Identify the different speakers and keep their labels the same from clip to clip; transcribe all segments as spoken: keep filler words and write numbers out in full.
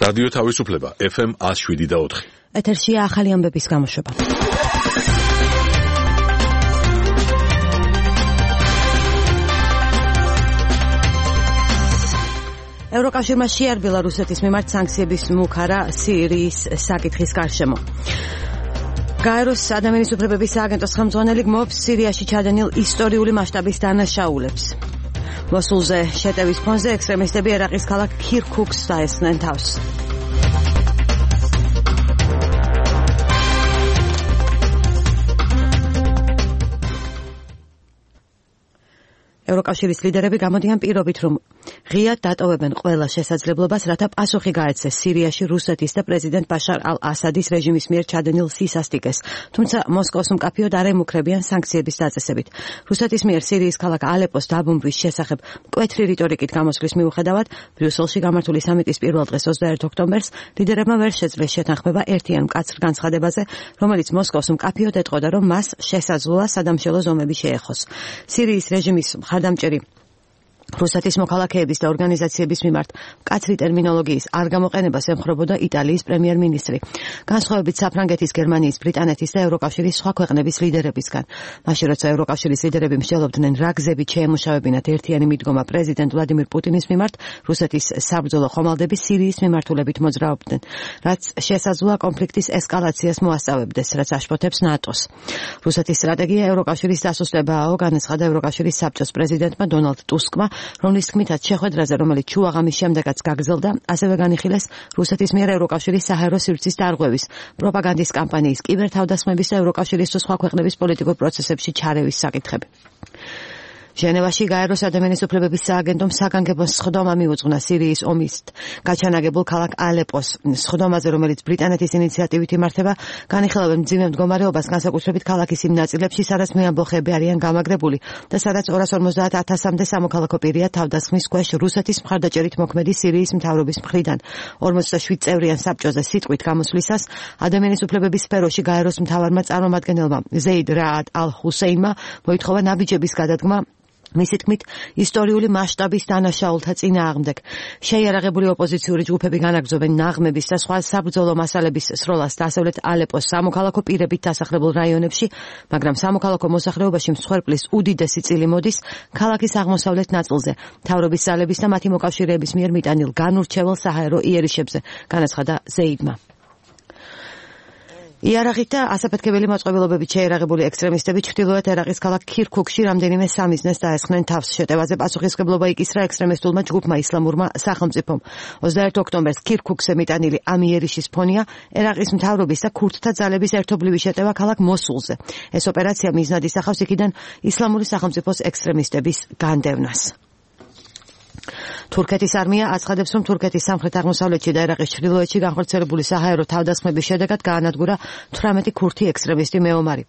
Speaker 1: რადიო თავისუფლება ეფ ემ one oh seven და four.
Speaker 2: ეთერშია ახალი ამბების გამოშვება. ევროკავშირმა შეარბილა რუსეთის მიმართ სანქციების მუქარა სირიის საკითხის გარშემო. გაეროს ადამიანის უფლებების სააგენტოს ხელმძღვანელი გმობს სირიაში ჩადენილ ისტორიული მასშტაბის დანაშაულებს. მოსულზე შეტევის ფონზე ექსტრემისტები ერაყის ქალაქ ქირქუქს დაესხნენ თავს. ევროკავშირის ლიდერები გამოდიან პირობით, რომ ღიად დატოვებენ ყველა შესაძლებლობას, რათა პასუხი გაეცეს სირიაში რუსეთის და პრეზიდენტ ბაშარ ალ-ასადის რეჟიმის მიერ ჩადენილ სისასტიკეს, თუმცა მოსკოვს მკაფიოდ არ ემუქრებიან სანქციების დაწესებით. რუსეთის მიერ სირიის ქალაქ ალეპოს დაბომბვის შესახებ მკვეთრი რიტორიკით გამოსვლის მიუხედავად, ბრიუსელში გამართული სამიტის პირველ დღეს ოცდაერთი ოქტომბერს ლიდერებმა ვერ შეძლეს შეთანხმება ერთიან მკაცრ განცხადებაზე, რომელიც მოსკოვს მკაფიოდ ეტყოდა, რომ მას შესაძლოა სადამშველო ზომები შეეხოს. სირიის რეჟიმის მხარდამჭერი რუსეთის მოქალაქეების და ორგანიზაციების მიმართ მკაცრი ტერმინოლოგიის არ გამოყენებას ემხრობოდა იტალიის პრემიერ-მინისტრი, განსხვავებით საფრანგეთის, გერმანიის, ბრიტანეთის და ევროკავშირის სხვა ქვეყნების ლიდერებისგან. მაშინ როცა ევროკავშირის ლიდერები მსჯელობდნენ რა გზებით შეემუშავებინათ ერთიანი მიდგომა პრეზიდენტ ვლადიმირ პუტინის მიმართ, რუსეთის საბრძოლო ხომალდები სირიის მიმართულებით მოძრაობდნენ, რაც შესაძლოა კონფლიქტის ესკალაციას მოასწავებდეს, რაც აშფოთებს ნატოს. რუსეთის სტრატეგია ევროკავშირის დასუსტებაა, განაცხადა ევროკავშირის საბჭოს პრეზიდენტმა დონალდ ტუსკმა, რომლის თქმითაც შეხვედრაზე, რომელიც ჩუაღამის შემდეგაც გაგრძელდა, ასევე განიხილეს რუსეთის მიერ ევროკავშირის საჰაერო სივრცის დარღვევის, პროპაგანდის კამპანიის, კიბერთავდასხმების და ევროკავშირის თუ სხვა ქვეყნების პოლიტიკურ პროცესებში ჩარევის საკითხები. ჟენევაში გაეროს ადამიანის უფლებების სააგენტომ საგანგებო სხდომა მიუძღვნა სირიის ომის გაჩანაგებულ ქალაქ ალეპოს. სხდომაზე, რომელიც ბრიტანეთის ინიციატივით იმართება, განიხილავენ მძიმე მდგომარეობას, განსაკუთრებით ქალაქის იმ ნაწილებში, სადაც მეამბოხეები არიან გამაგრებული და სადაც ორას ორმოცდაათ ათასამდე სამოქალაქო პირია თავდასხმის ქვეშ რუსეთის მხარდაჭერით მოქმედი სირიის მთავრობის მხრიდან. ორმოცდაშვიდ წევრიან საბჭოზე სიტყვით გამოსვლისას ადამიანის უფლებების სფეროში გაეროს მთავარმა წარმომადგენელმა ზეიდ რაად ალ-ჰუსეინმა მოითხოვა ნაბიჯების გადადგმა მისი თქმით, ისტორიული მასშტაბის დანაშაულთა წინააღმდეგ. შეიარაღებული ოპოზიციური ჯგუფები განაგრძობენ ნაღმების და სხვა საბრძოლო მასალების სროლას დასავლეთ ალეპოს სამოქალაქო პირებით დასახლებულ რაიონებში, მაგრამ სამოქალაქო მოსახლეობაში მსხვერპლის უდიდესი წილი მოდის ქალაქის აღმოსავლეთ ნაწილზე, მთავრობის ძალების და მათი მოკავშირეების მიერ მიტანილ განურჩევალ საჰაერო იერიშებზე, განაცხადა ზეიდმა. იარაღით და ასაფეთქებელი მოწყობილობებით შეიარაღებული ექსტრემისტები ჩრდილოეთ ერაყის ქალაქ ქირქუქში რამდენიმე სამიზნეს დაესხნენ თავს. შეტევაზე პასუხისმგებლობა იკისრა ექსტრემისტულმა ჯგუფმა ისლამურმა სახელმწიფომ. ოცდაერთი ოქტომბერს ქირქუქზე მიტანილი ამ იერიშის ფონია ერაყის მთავრობის და ქურთთა ძალების ერთობლივი შეტევა ქალაქ მოსულზე. ეს ოპერაცია მიზნად ისახავს იქიდან ისლამური სახელმწიფოს ექსტრემისტების განდევნას. თურქეთის არმია აცხადებს, რომ თურქეთის სამხრეთ-აღმოსავლეთში და ერაყის ჩრდილოეთში განხორციელებული საჰაერო თავდასხმების შედეგად გაანადგურა თვრამეტი ქურთი ექსტრემისტი მეომარი.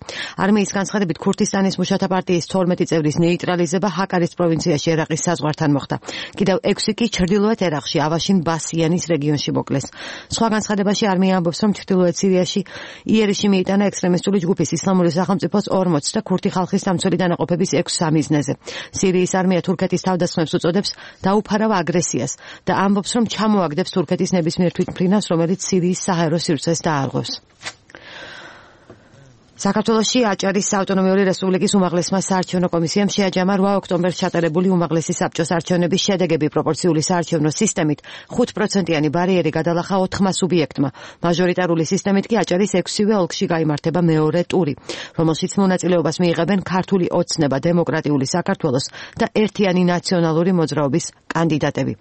Speaker 2: არმიის განცხადებით, ქურთისტანის მუშათა პარტიის თორმეტი წევრის ნეიტრალიზება ჰაკარის პროვინციაში ერაყის საზღვართან მოხდა. კიდევ ექვსი კი ჩრდილოეთ ერაყში ავაშინ ბასიანის რეგიონში მოკლეს. სხვა განცხადებაში არმია ამბობს, რომ ჩრდილოეთ სირიაში იერიში მიიტანა ექსტრემისტული ჯგუფის ისლამური სახელმწიფოს ორმოც და ქურთი ხალხის დამცველი დანაყოფების ექვს სამიზნეზე. სირიის არმია თურქეთის თავდასხმებს უწოდებს დაუფარავ აგრესიას და ამბობს, რომ ჩამოაგდებს თურქეთის ნებისმიერ თვითმფრინავს, რომელიც სირიის საჰაერო სივრცეს დაარღვევს. საქართველოში აჭარის ავტონომიური რესპუბლიკის უმაღლესმა საარჩევნო კომისიამ შეაჯამა რვა ოქტომბერს ჩატარებული უმაღლესი საბჭოს არჩევნების შედეგები პროპორციული საარჩევნო სისტემით ხუთ პროცენტიანი ბარიერი გადალახა ოთხმა სუბიექტმა. მაჟორიტარული სისტემით კი აჭარის ექვსივე ოლქში გაიმართება მეორე ტური, რომელშიც მონაწილეობას მიიღებენ ქართული ოცნება, დემოკრატიული საქართველოს და ერთიანი ნაციონალური მოძრაობის კანდიდატები.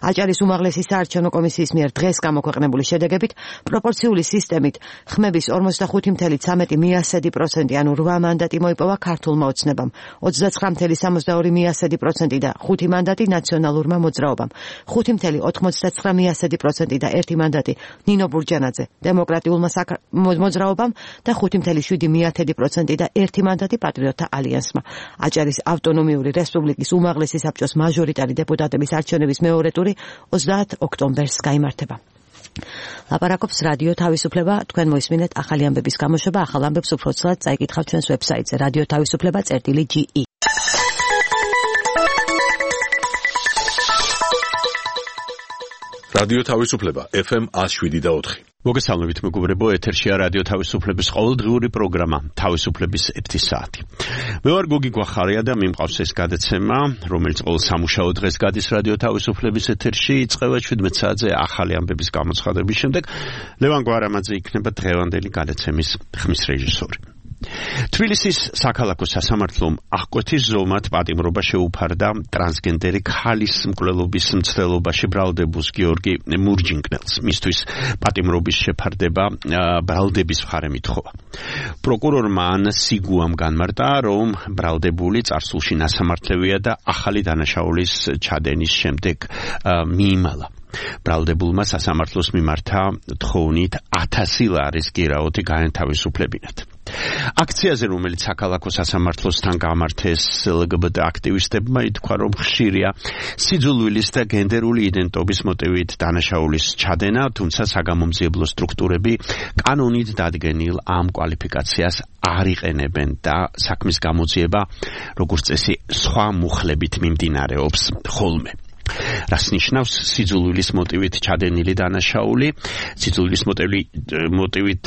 Speaker 2: აჭარის უმაღლესი საარჩევნო კომისიის მიერ დღეს გამოქვეყნებული შედეგებით პროპორციული სისტემით ხმების ორმოცდახუთი წამლ სამი მიასედი პროცენტი, ანუ რვა მანდატი მოიპოვა ქართულმა ოცნებამ, ოცდაცხრა წამლ სამოცდაორი მიასედი პროცენტი და ხუთი მანდატი ნაციონალურმა მოძრაობამ, ხუთი წამლ ოცდაცხრა მიასედი პროცენტი და ერთი მანდატი ნინო ბურჯანაძე დემოკრატიულმა მოძრაობამ და ხუთი წამლ შვიდი მიათედი პროცენტი და ერთი მანდატი პატრიოტთა ალიანსმა. აჭარის ავტონომიური რესპუბლიკის უმაღლესი საბჭოს მაჟორიტარი დეპუტატების არჩევნების მეორე ტური ოცდაათ ოქტომბერს გაიმართება. ლაპარაკობს რადიო თავისუფლება, თქვენ მოისმინეთ ახალი ამბების გამოშვება, ახალ ამბებს უფრო ცალად წაიკითხავთ ჩვენს ვებსაიტზე რადიო თავისუფლება წერტილი ჯი ი.
Speaker 1: რადიო თავისუფლება ეფ ემ one oh seven და four.
Speaker 3: მოგესალმებით მეგობრებო, ეთერშია რადიო თავისუფლების ყოველდღიური პროგრამა თავისუფლების ერთი საათი. მე ვარ გოგი გვახარია და მიმყავს ეს გადაცემა, რომელიც ყოველ სამუშაო დღეს გადის რადიო თავისუფლების ეთერში, იწყება seventeen საათზე ახალი ამბების გამოცხადების შემდეგ. ლევან გვარამაძე იქნება დღევანდელი გადაცემის ხმის რეჟისორი. თბილისის საქალაქო სასამართლომ აღკვეთის ზომად პატიმრობა შეუფარდა ტრანსგენდერი ქალის მკვლელობის მცდელობაში ბრალდებულს გიორგი მურჯინკნელს. მისთვის პატიმრობის შეფარდება ბრალდების მხარე მითხოვა. პროკურორმა ანა სიგუამ განმარტა, რომ ბრალდებული წარსულში ნასამართლევია და ახალი დანაშაულის ჩადენის შემდეგ მიიმალა. ბრალდებულმა სასამართლოს მიმართა თხოვნით ათასი ლარის გირაოთი გაენთავისუფლებინათ. აქციაზე, რომელიც საქალაქო სასამართლოსთან გამართეს ელ გი ბი ტი აქტივისტებმა, ითქვა, რომ ხშირია სიძულვილის და გენდერული იდენტობის მოტივით დანაშაულის ჩადენა, თუმცა საგამომძიებლო სტრუქტურები კანონით დადგენილ ამ კვალიფიკაციას არ იყენებენ და საქმის გამოძიება, როგორც წესი, სხვა მუხლებით მიმდინარეობს ხოლმე. რას ნიშნავს სიძულვილის მოტივით ჩადენილი დანაშაული? სიძულვილის მოტივით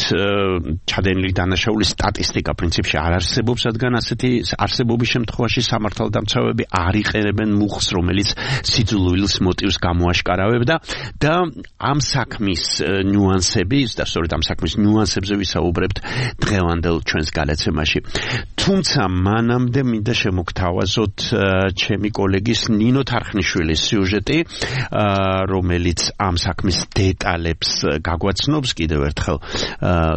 Speaker 3: ჩადენილი დანაშაულის სტატისტიკა პრინციპში არ არსებობს, რადგან ასეთი არსებობის შემთხვევაში სამართალდამცავები არ იყენებენ მუხლს, რომელიც სიძულვილის მოტივს გამოაშკარავებდა და ამ საქმის ნიუანსები, და სწორედ ამ საქმის ნიუანსებზე ვისაუბრებთ დღევანდელ ჩვენს გადაცემაში. თუმცა მანამდე მინდა შემოგთავაზოთ ჩემი კოლეგის ნინო თარხნიშვილის სიუჟეტი, რომელიც ამ საქმის დეტალებს გაგვაცნობს. კიდევ ერთხელ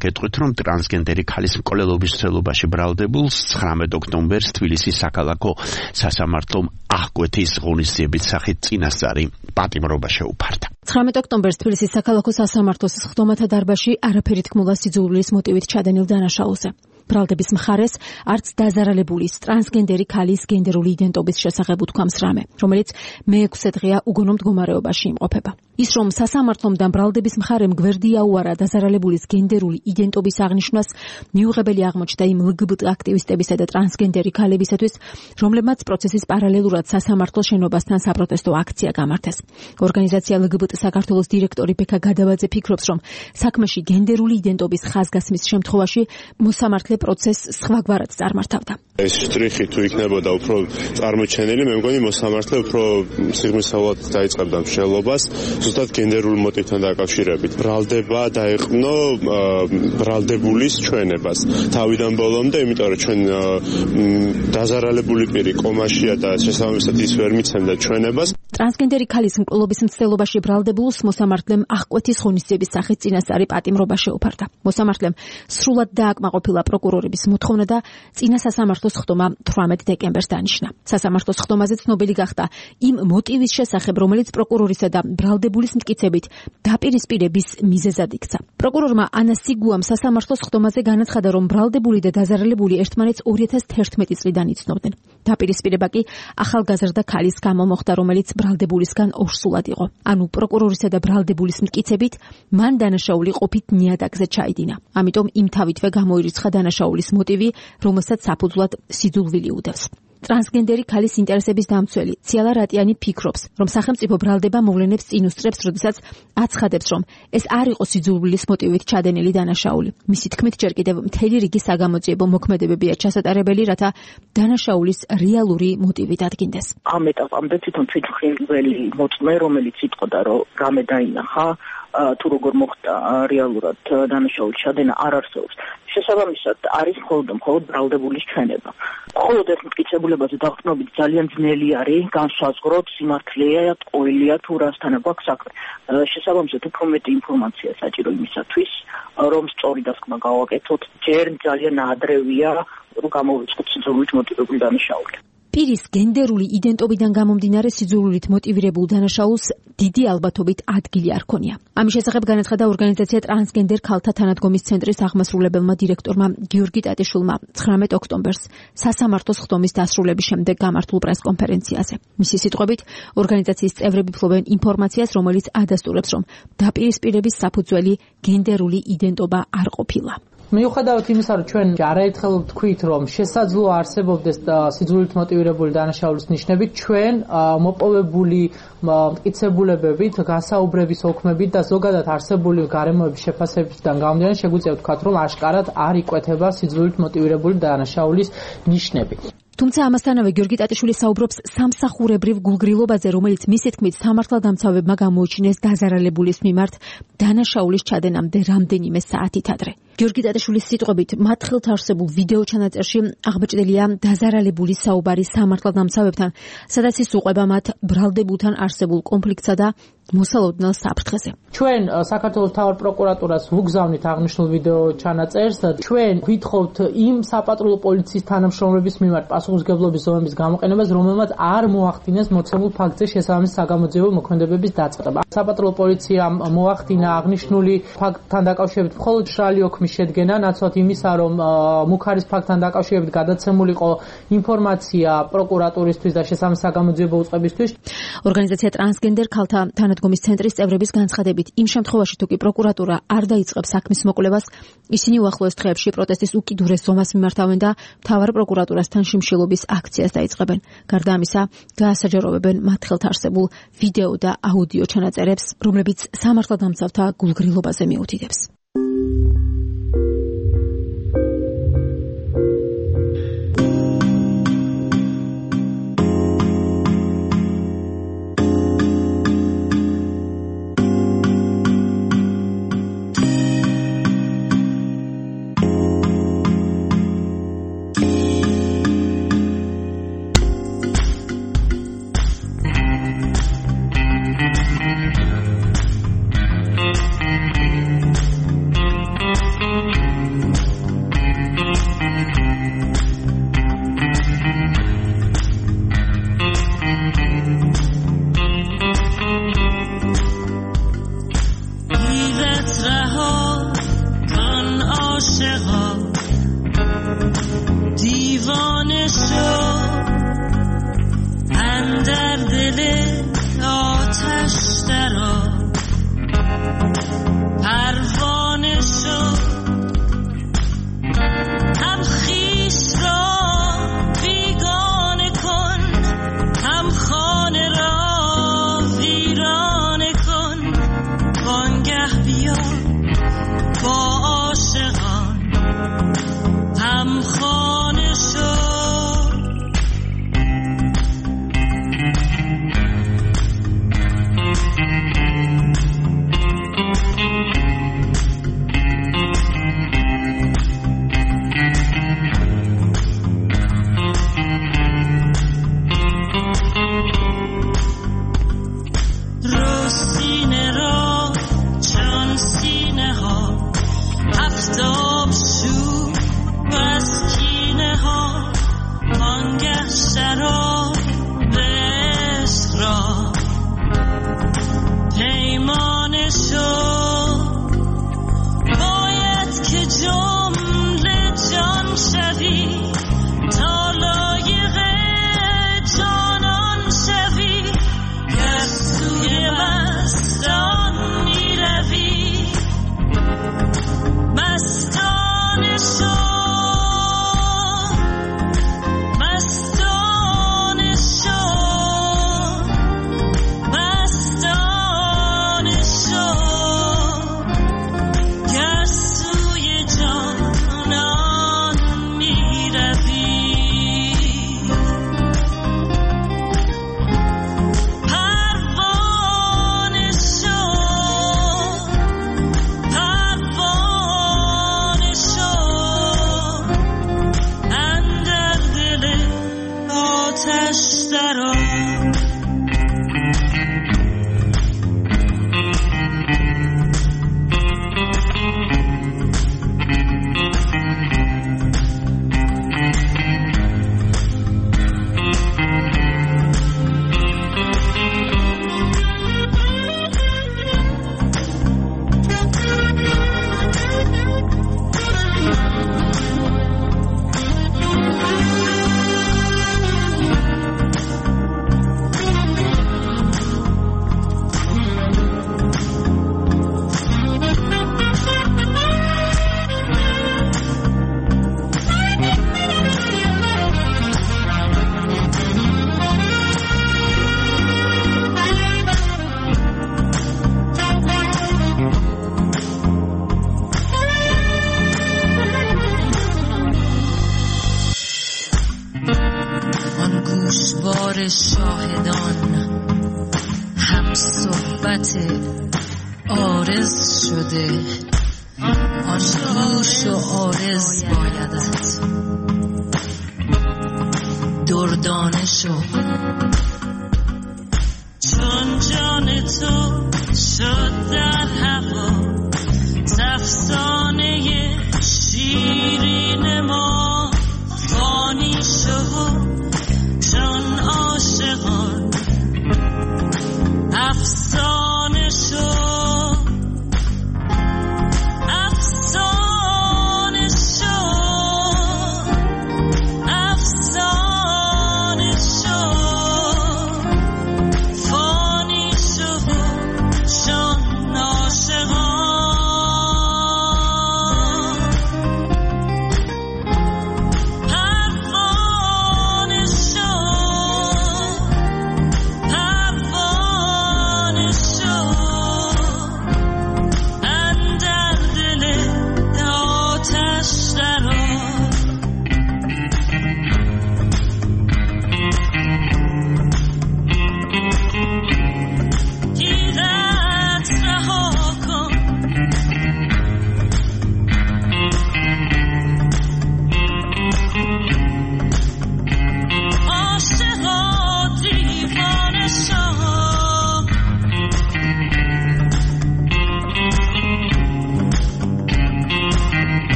Speaker 3: გეტყვით, რომ ტრანსგენდერი ქალის მკვლელობის მცდელობაში ბრალდებულს ცხრამეტ ოქტომბერს თბილისის საქალაქო სასამართლომ აღკვეთის ღონისძიების სახით წინასწარი პატიმრობა შეუფარდა.
Speaker 4: ცხრამეტ ოქტომბერს თბილისის საქალაქო სასამართლოს სხდომათა დარბაზში არაფერი თქმულა სიძულვილის მოტივით ჩადენილ დანაშაულზე. ბრალდების მხარეს არც დაზარალებულის ტრანსგენდერი ქალის გენდერული იდენტობის შესახებ უთქვამს რამე, რომელიც მეექვსე დღეა უგონო მდგომარეობაში იმყოფება. ის რომ სასამართლომ და ბრალდების მხარემ გვერდი აუარა დაზარალებულის გენდერული იდენტობის აღნიშვნას, მიუღებელი აღმოჩნდა იმ ელ გი ბი ტი აქტივისტებისა და ტრანსგენდერი ქალებისათვის, რომლებმაც პროცესის პარალელურად სასამართლოს შენობასთან საპროტესტო აქცია გამართეს. ორგანიზაცია ელ გი ბი ტი საქართველოს დირექტორი ბექა გადავაძე ფიქრობს, რომ საქმეში გენდერული იდენტობის ხაზგასმის შემთხვევაში მოსამართლე პროცესს სხვაგვარად წარმართავდა.
Speaker 5: ეს შტრიხი თუ იქნებოდა უფრო წარმოჩენილი, მე მგონი მოსამართლე უფრო სიღრმისეულად დაიწყებდა მშენებლობას, ზუსტად გენდერულ მოტივთან დაკავშირებით. ბრალდება დაეყნო ბრალდებულის ჩვენებას თავიდან ბოლომდე, იმიტომ რომ ჩვენ დაზარალებული პირი კომაშია და შესაბამისად ის ვერ მიცემდა ჩვენებას.
Speaker 4: ტრანსგენდერი ქალის მკვლელობის მცდელობაში ბრალდებულს მოსამართლემ აღკვეთის ღონისძიების სახით წინასწარი პატიმრობა შეუფარდა. მოსამართლემ სრულად დააკმაყოფილა პროკურორების მოთხოვნა და წინა სასამართლოს სხდომა თვრამეტ დეკემბერს დანიშნა. სასამართლოს სხდომაზე ცნობილი გახდა იმ მოტივის შესახებ, რომელიც პროკურორისა და ბრალდებულის მტკიცებით დაპირისპირების მიზეზად იქცა. პროკურორმა ანა სიგუამ სასამართლოს სხდომაზე განაცხადა, რომ ბრალდებული და დაზარალებული ერთმანეთს ორი ათას თერთმეტი წლიდან იცნობდნენ. დაპირისპირება კი ახალგაზრდა ქალის გამო მოხდა, რომელიც ბრალდებულისგან ორსულად იყო. ანუ პროკურორისა და ბრალდებულის მტკიცებით მან დანაშაული ყოფით ნიადაგზე ჩაიდინა. ამიტომ იმ თავითვე გამოირიცხა დანაშაულის მოტივი, რომელსაც საფუძვლად სიძულვილი უდევს. ტრანსგენდერი ქალის ინტერესების დამცველი ციალა რატიანი ფიქრობს, რომ სახელმწიფო ბრალდება მოვლენებს წინ უსწრებს, როდესაც აცხადებს, რომ ეს არ იყო სიძულვილის მოტივით ჩადენილი დანაშაული. მისი თქმით, ჯერ კიდევ მთელი რიგი საგამოძიებო მოქმედებებია ჩასატარებელი, რათა დანაშაულის რეალური მოტივი დადგინდეს.
Speaker 6: ამ ეტაპამდე თვითონ თვითმხილველი მოწმე, რომელიც იტყოდა, რომ რამე დაინახა, თუ როგორ მოხდა რეალურად დანაშაულის ჩადენა არ არსებობს. შესაბამისად არის მხოლოდ მხოლოდ ბრალდებულის ჩვენება. მხოლოდ ეს მტკიცებულებაზე დაყრდნობით ძალიან ძნელი არის განსაზღვროთ სიმართლეა, ტყუილია თუ რასთან აქვს საქმე. შესაბამისად უფრო მეტი ინფორმაცია საჭირო იმისათვის, რომ სწორი დასკვნა გავაკეთოთ. ჯერ ძალიან ადრევია რომ გამოვიწყოთ სიძულვილით მოტივირებული დანაშაული.
Speaker 4: პირის გენდერული იდენტობიდან გამომდინარე სიძულვილით მოტივირებულ დანაშაულს დიდი ალბათობით ადგილი არ ქონია. ამის შესახებ განაცხადა ორგანიზაცია ტრანსგენდერ ქალთა თანადგომის ცენტრის აღმასრულებელმა დირექტორმა გიორგი ტატიშვილმა ცხრამეტ ოქტომბერს სასამართლოს სხდომის დასრულების შემდეგ გამართულ პრესკონფერენციაზე. მისი სიტყვებით, ორგანიზაციის წევრები ფლობენ ინფორმაციას, რომელიც ადასტურებს, რომ დაპირისპირების საფუძველი გენდერული იდენტობა არ ყოფილა.
Speaker 7: მიუხედავად იმისა, რომ ჩვენ არაერთხელ ვთქვით, რომ შესაძლოა არსებობდეს სიძულვილით მოტივირებული დანაშაულის ნიშნები, ჩვენ მოპოვებული მტკიცებულებებით, გასაუბრების ოქმებით და ზოგადად არსებული გარემოების შეფასებებიდან გამომდინარე შეგვიძლია ვთქვათ, რომ აშკარად არ იკვეთება სიძულვილით მოტივირებული დანაშაულის ნიშნები.
Speaker 4: თუმცა ამასთანავე გიორგი ტატიშვილი საუბრობს სამსახურებრივ გულგრილობაზე, რომელიც მისი თქმით სამართალდამცავებმა გამოუჩინეს დაზარალებულის მიმართ დანაშაულის ჩადენამდე რამდენიმე საათით ადრე. გიორგი ტატიშვილის სიტყვებით, მათ ხელთ არსებულ ვიდეო ჩანაწერში აღბეჭდილია დაზარალებულის საუბარი სამართალდამცავებთან, სადაც ის უყვება მათ ბრალდებულთან არსებულ კონფლიქტსა და მოსალოდნელ საფრთხეზე.
Speaker 7: ჩვენ საქართველოს მთავარ პროკურატურას ვუგზავნით აღნიშნულ ვიდეო ჩანაწერს. ჩვენ ვითხოვთ იმ საპატრულო პოლიციის თანამშრომლების მიმართ პასუხისმგებლობის ზომების გამოყენებას, რომელმაც არ მოახდინეს მოცემულ ფაქტზე შესაბამისი საგამოძიებო მოქმედებების დაწყება. საპატრულო პოლიციამ მოახდინა აღნიშნული ფაქტთან დაკავშირებით მხოლოდ მშრალი ოქმის შედგენა, ნაცვლად იმისა, რომ მუქარის ფაქტთან დაკავშირებით გადაცემულიყო ინფორმაცია პროკურატურისთვის და შესაბამისი საგამოძიებო უწყებისთვის.
Speaker 4: ორგანიზაცია ტრანსგენდერ ქალთა თანადგომის ცენტრის წევრების განცხადებით, იმ შემთხვევაში თუ კი პროკურატურა არ დაიწყებს საქმის მოკვლევას, ისინი უახლოეს დღეებში პროტესტის უკიდურეს ზომას მიმართავენ და მთავარ პროკურატურასთან შიმშილობის აქციას დაიწყებენ. გარდა ამისა, გაასაჯაროვებენ მათ ხელთ არსებულ ვიდეო და აუდიო ჩანაწერებს, რომლებიც სამართალდამცავთა გულგრილობაზე მიუთითებს.
Speaker 8: گوشوار شاهدان هم صحبت عارض شده آن گوش و عارض بایدت دردانه شو چون جان تو شد در هوا افسانه شیرین ما فانی شو چون عاشقان افسانه شو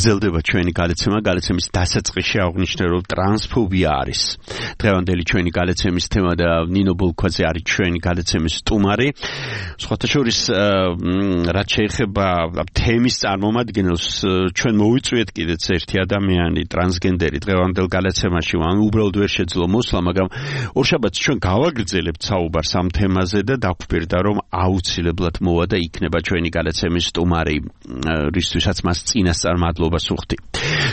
Speaker 3: გრძელდება ჩვენი გადაცემა, გადაცემის დასაწყისში აღვნიშნე, რომ ტრანსფობია არის დღევანდელი ჩვენი გადაცემის თემა და ნინო ბოლქვაძე არის ჩვენი გადაცემის სტუმარი. სხვათა შორის, რაც შეეხება თემის წარმომადგენელს, ჩვენ მოვიწვიეთ კიდეც ერთი ადამიანი, ტრანსგენდერი დღევანდელ გადაცემაში, ან უბრალოდ ვერ შეძლო მოსვლა, მაგრამ ორშაბათს ჩვენ გავაგრძელებთ საუბარს ამ თემაზე და დაგვპირდა, რომ აუცილებლად მოვა და იქნება ჩვენი გადაცემის სტუმარი, რისთვისაც მას წინასწარ მადლობას ვუხდი.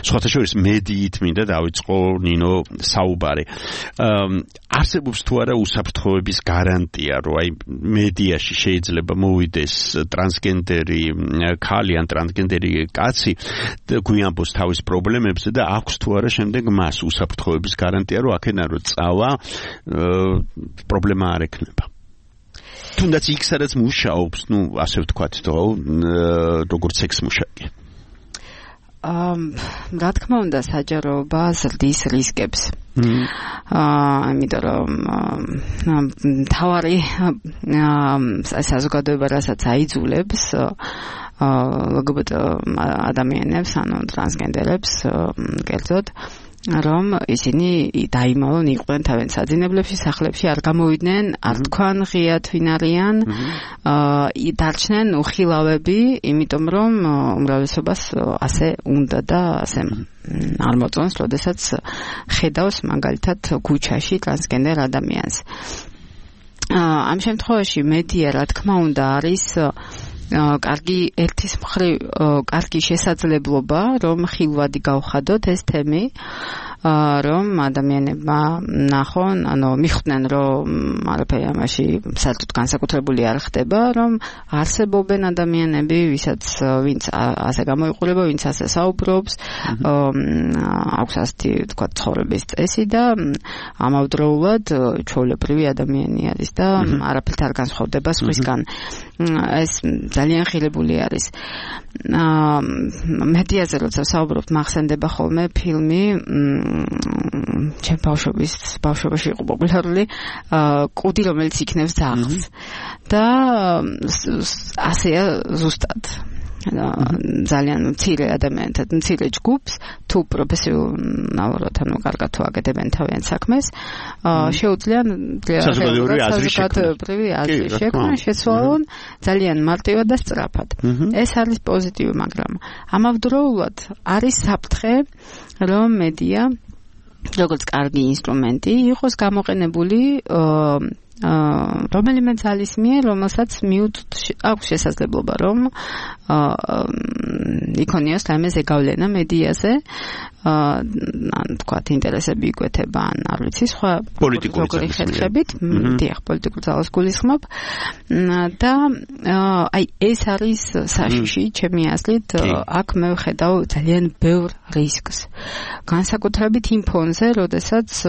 Speaker 3: სხვათა შორის, მედიით მინდა დავიწყო ნინო საუბარი. არსებობს თუ არა უსაფრთხოების გარანტია, რომ აი მედიაში შეიძლება მოვიდეს ტრანსგენდერი ქალი ან ტრანსგენდერი კაცი გვიანბოს თავის პრობლემებზე და აქვს თუ არა შემდეგ მას უსაფრთხოების გარანტია, რომ აქედან რო წავა პრობლემა არ ექნება. თუნდაც იქ სადაც მუშაობს, ну, ასე ვთქვათ, როგორც სექს-მუშაკი.
Speaker 9: რა თქმა უნდა, საჯაროობა ზრდის რისკებს. აა, იმიტომ რომ თავარი საზოგადოება რასაც აიძულებს ლგბტ ადამიანებს, ანუ ტრანსგენდერებს, კერძოდ რომ ისინი დაიმალონ იყვნენ თავენ საძინებლებში, სახლებში, არ გამოვიდნენ, არ თქვან ღიად ვინ არიან, აა დარჩნენ უხილავები, იმიტომ რომ უმრავლესობას ასე უნდა და ასე არ მოწონს, როდესაც ხედავს მაგალითად ქუჩაში ტრანსგენდერ ადამიანს. აა ამ შემთხვევაში მედია, რა თქმა უნდა, არის კარგი ერთის მხრივ კარგი შესაძლებლობა, რომ ხილვადი გავხადოთ ეს თემი, რომ ადამიანებმა ნახონ, ანუ მიხვდნენ, რომ არაფერი ამაში საერთოდ განსაკუთრებული არ ხდება, რომ არსებობენ ადამიანები, ვისაც ვინც ასე გამოიყურება, ვინც ასე საუბრობს, აქვს ასეთი თქვა ცხოვრების წესი და ამავდროულად ჩვეულებრივი ადამიანი არის და არაფერთ არ განსხვავდება სხვისგან. ეს ძალიან ხილებული არის. მედიაზე როცა საუბრობთ, მახსენდება ხოლმე ფილმი ჩემ ბავშვობის ბავშვობაში იყო პოპულარული კუდი, რომელიც იქნევს ძაღლს და ასეა ზუსტად. ძალიან მცირე ადამიანთა, მცირე ჯგუფს, თუ პროფესიონალურად, ანუ კარგად თუ აკეთებენ თავიანთ საქმეს, შეუძლიან საზოგადოებრივი აზრი შექმნა, შეცვალონ ძალიან მარტივად და სწრაფად. ეს არის პოზიტივი, მაგრამ ამავდროულად არის საფრთხე, რომ მედია როგორც კარგი ინსტრუმენტი იყოს გამოყენებული რომელიმე ძალის მიერ, რომელსაც მიუწვდ აქვს შესაძლებლობა, რომ იქონიოს რაიმე ზეგავლენა მედიაზე, ან თქვათ ინტერესები იკვეთება, ან არ ვიცი, სხვა პოლიტიკური ხერხებით, დიახ, პოლიტიკურ ძალას გულისხმობ და აი ეს არის საშიში, ჩემი აზრით, აქ მე ვხედავ ძალიან ბევრ რისკს. განსაკუთრებით იმ ფონზე, როდესაც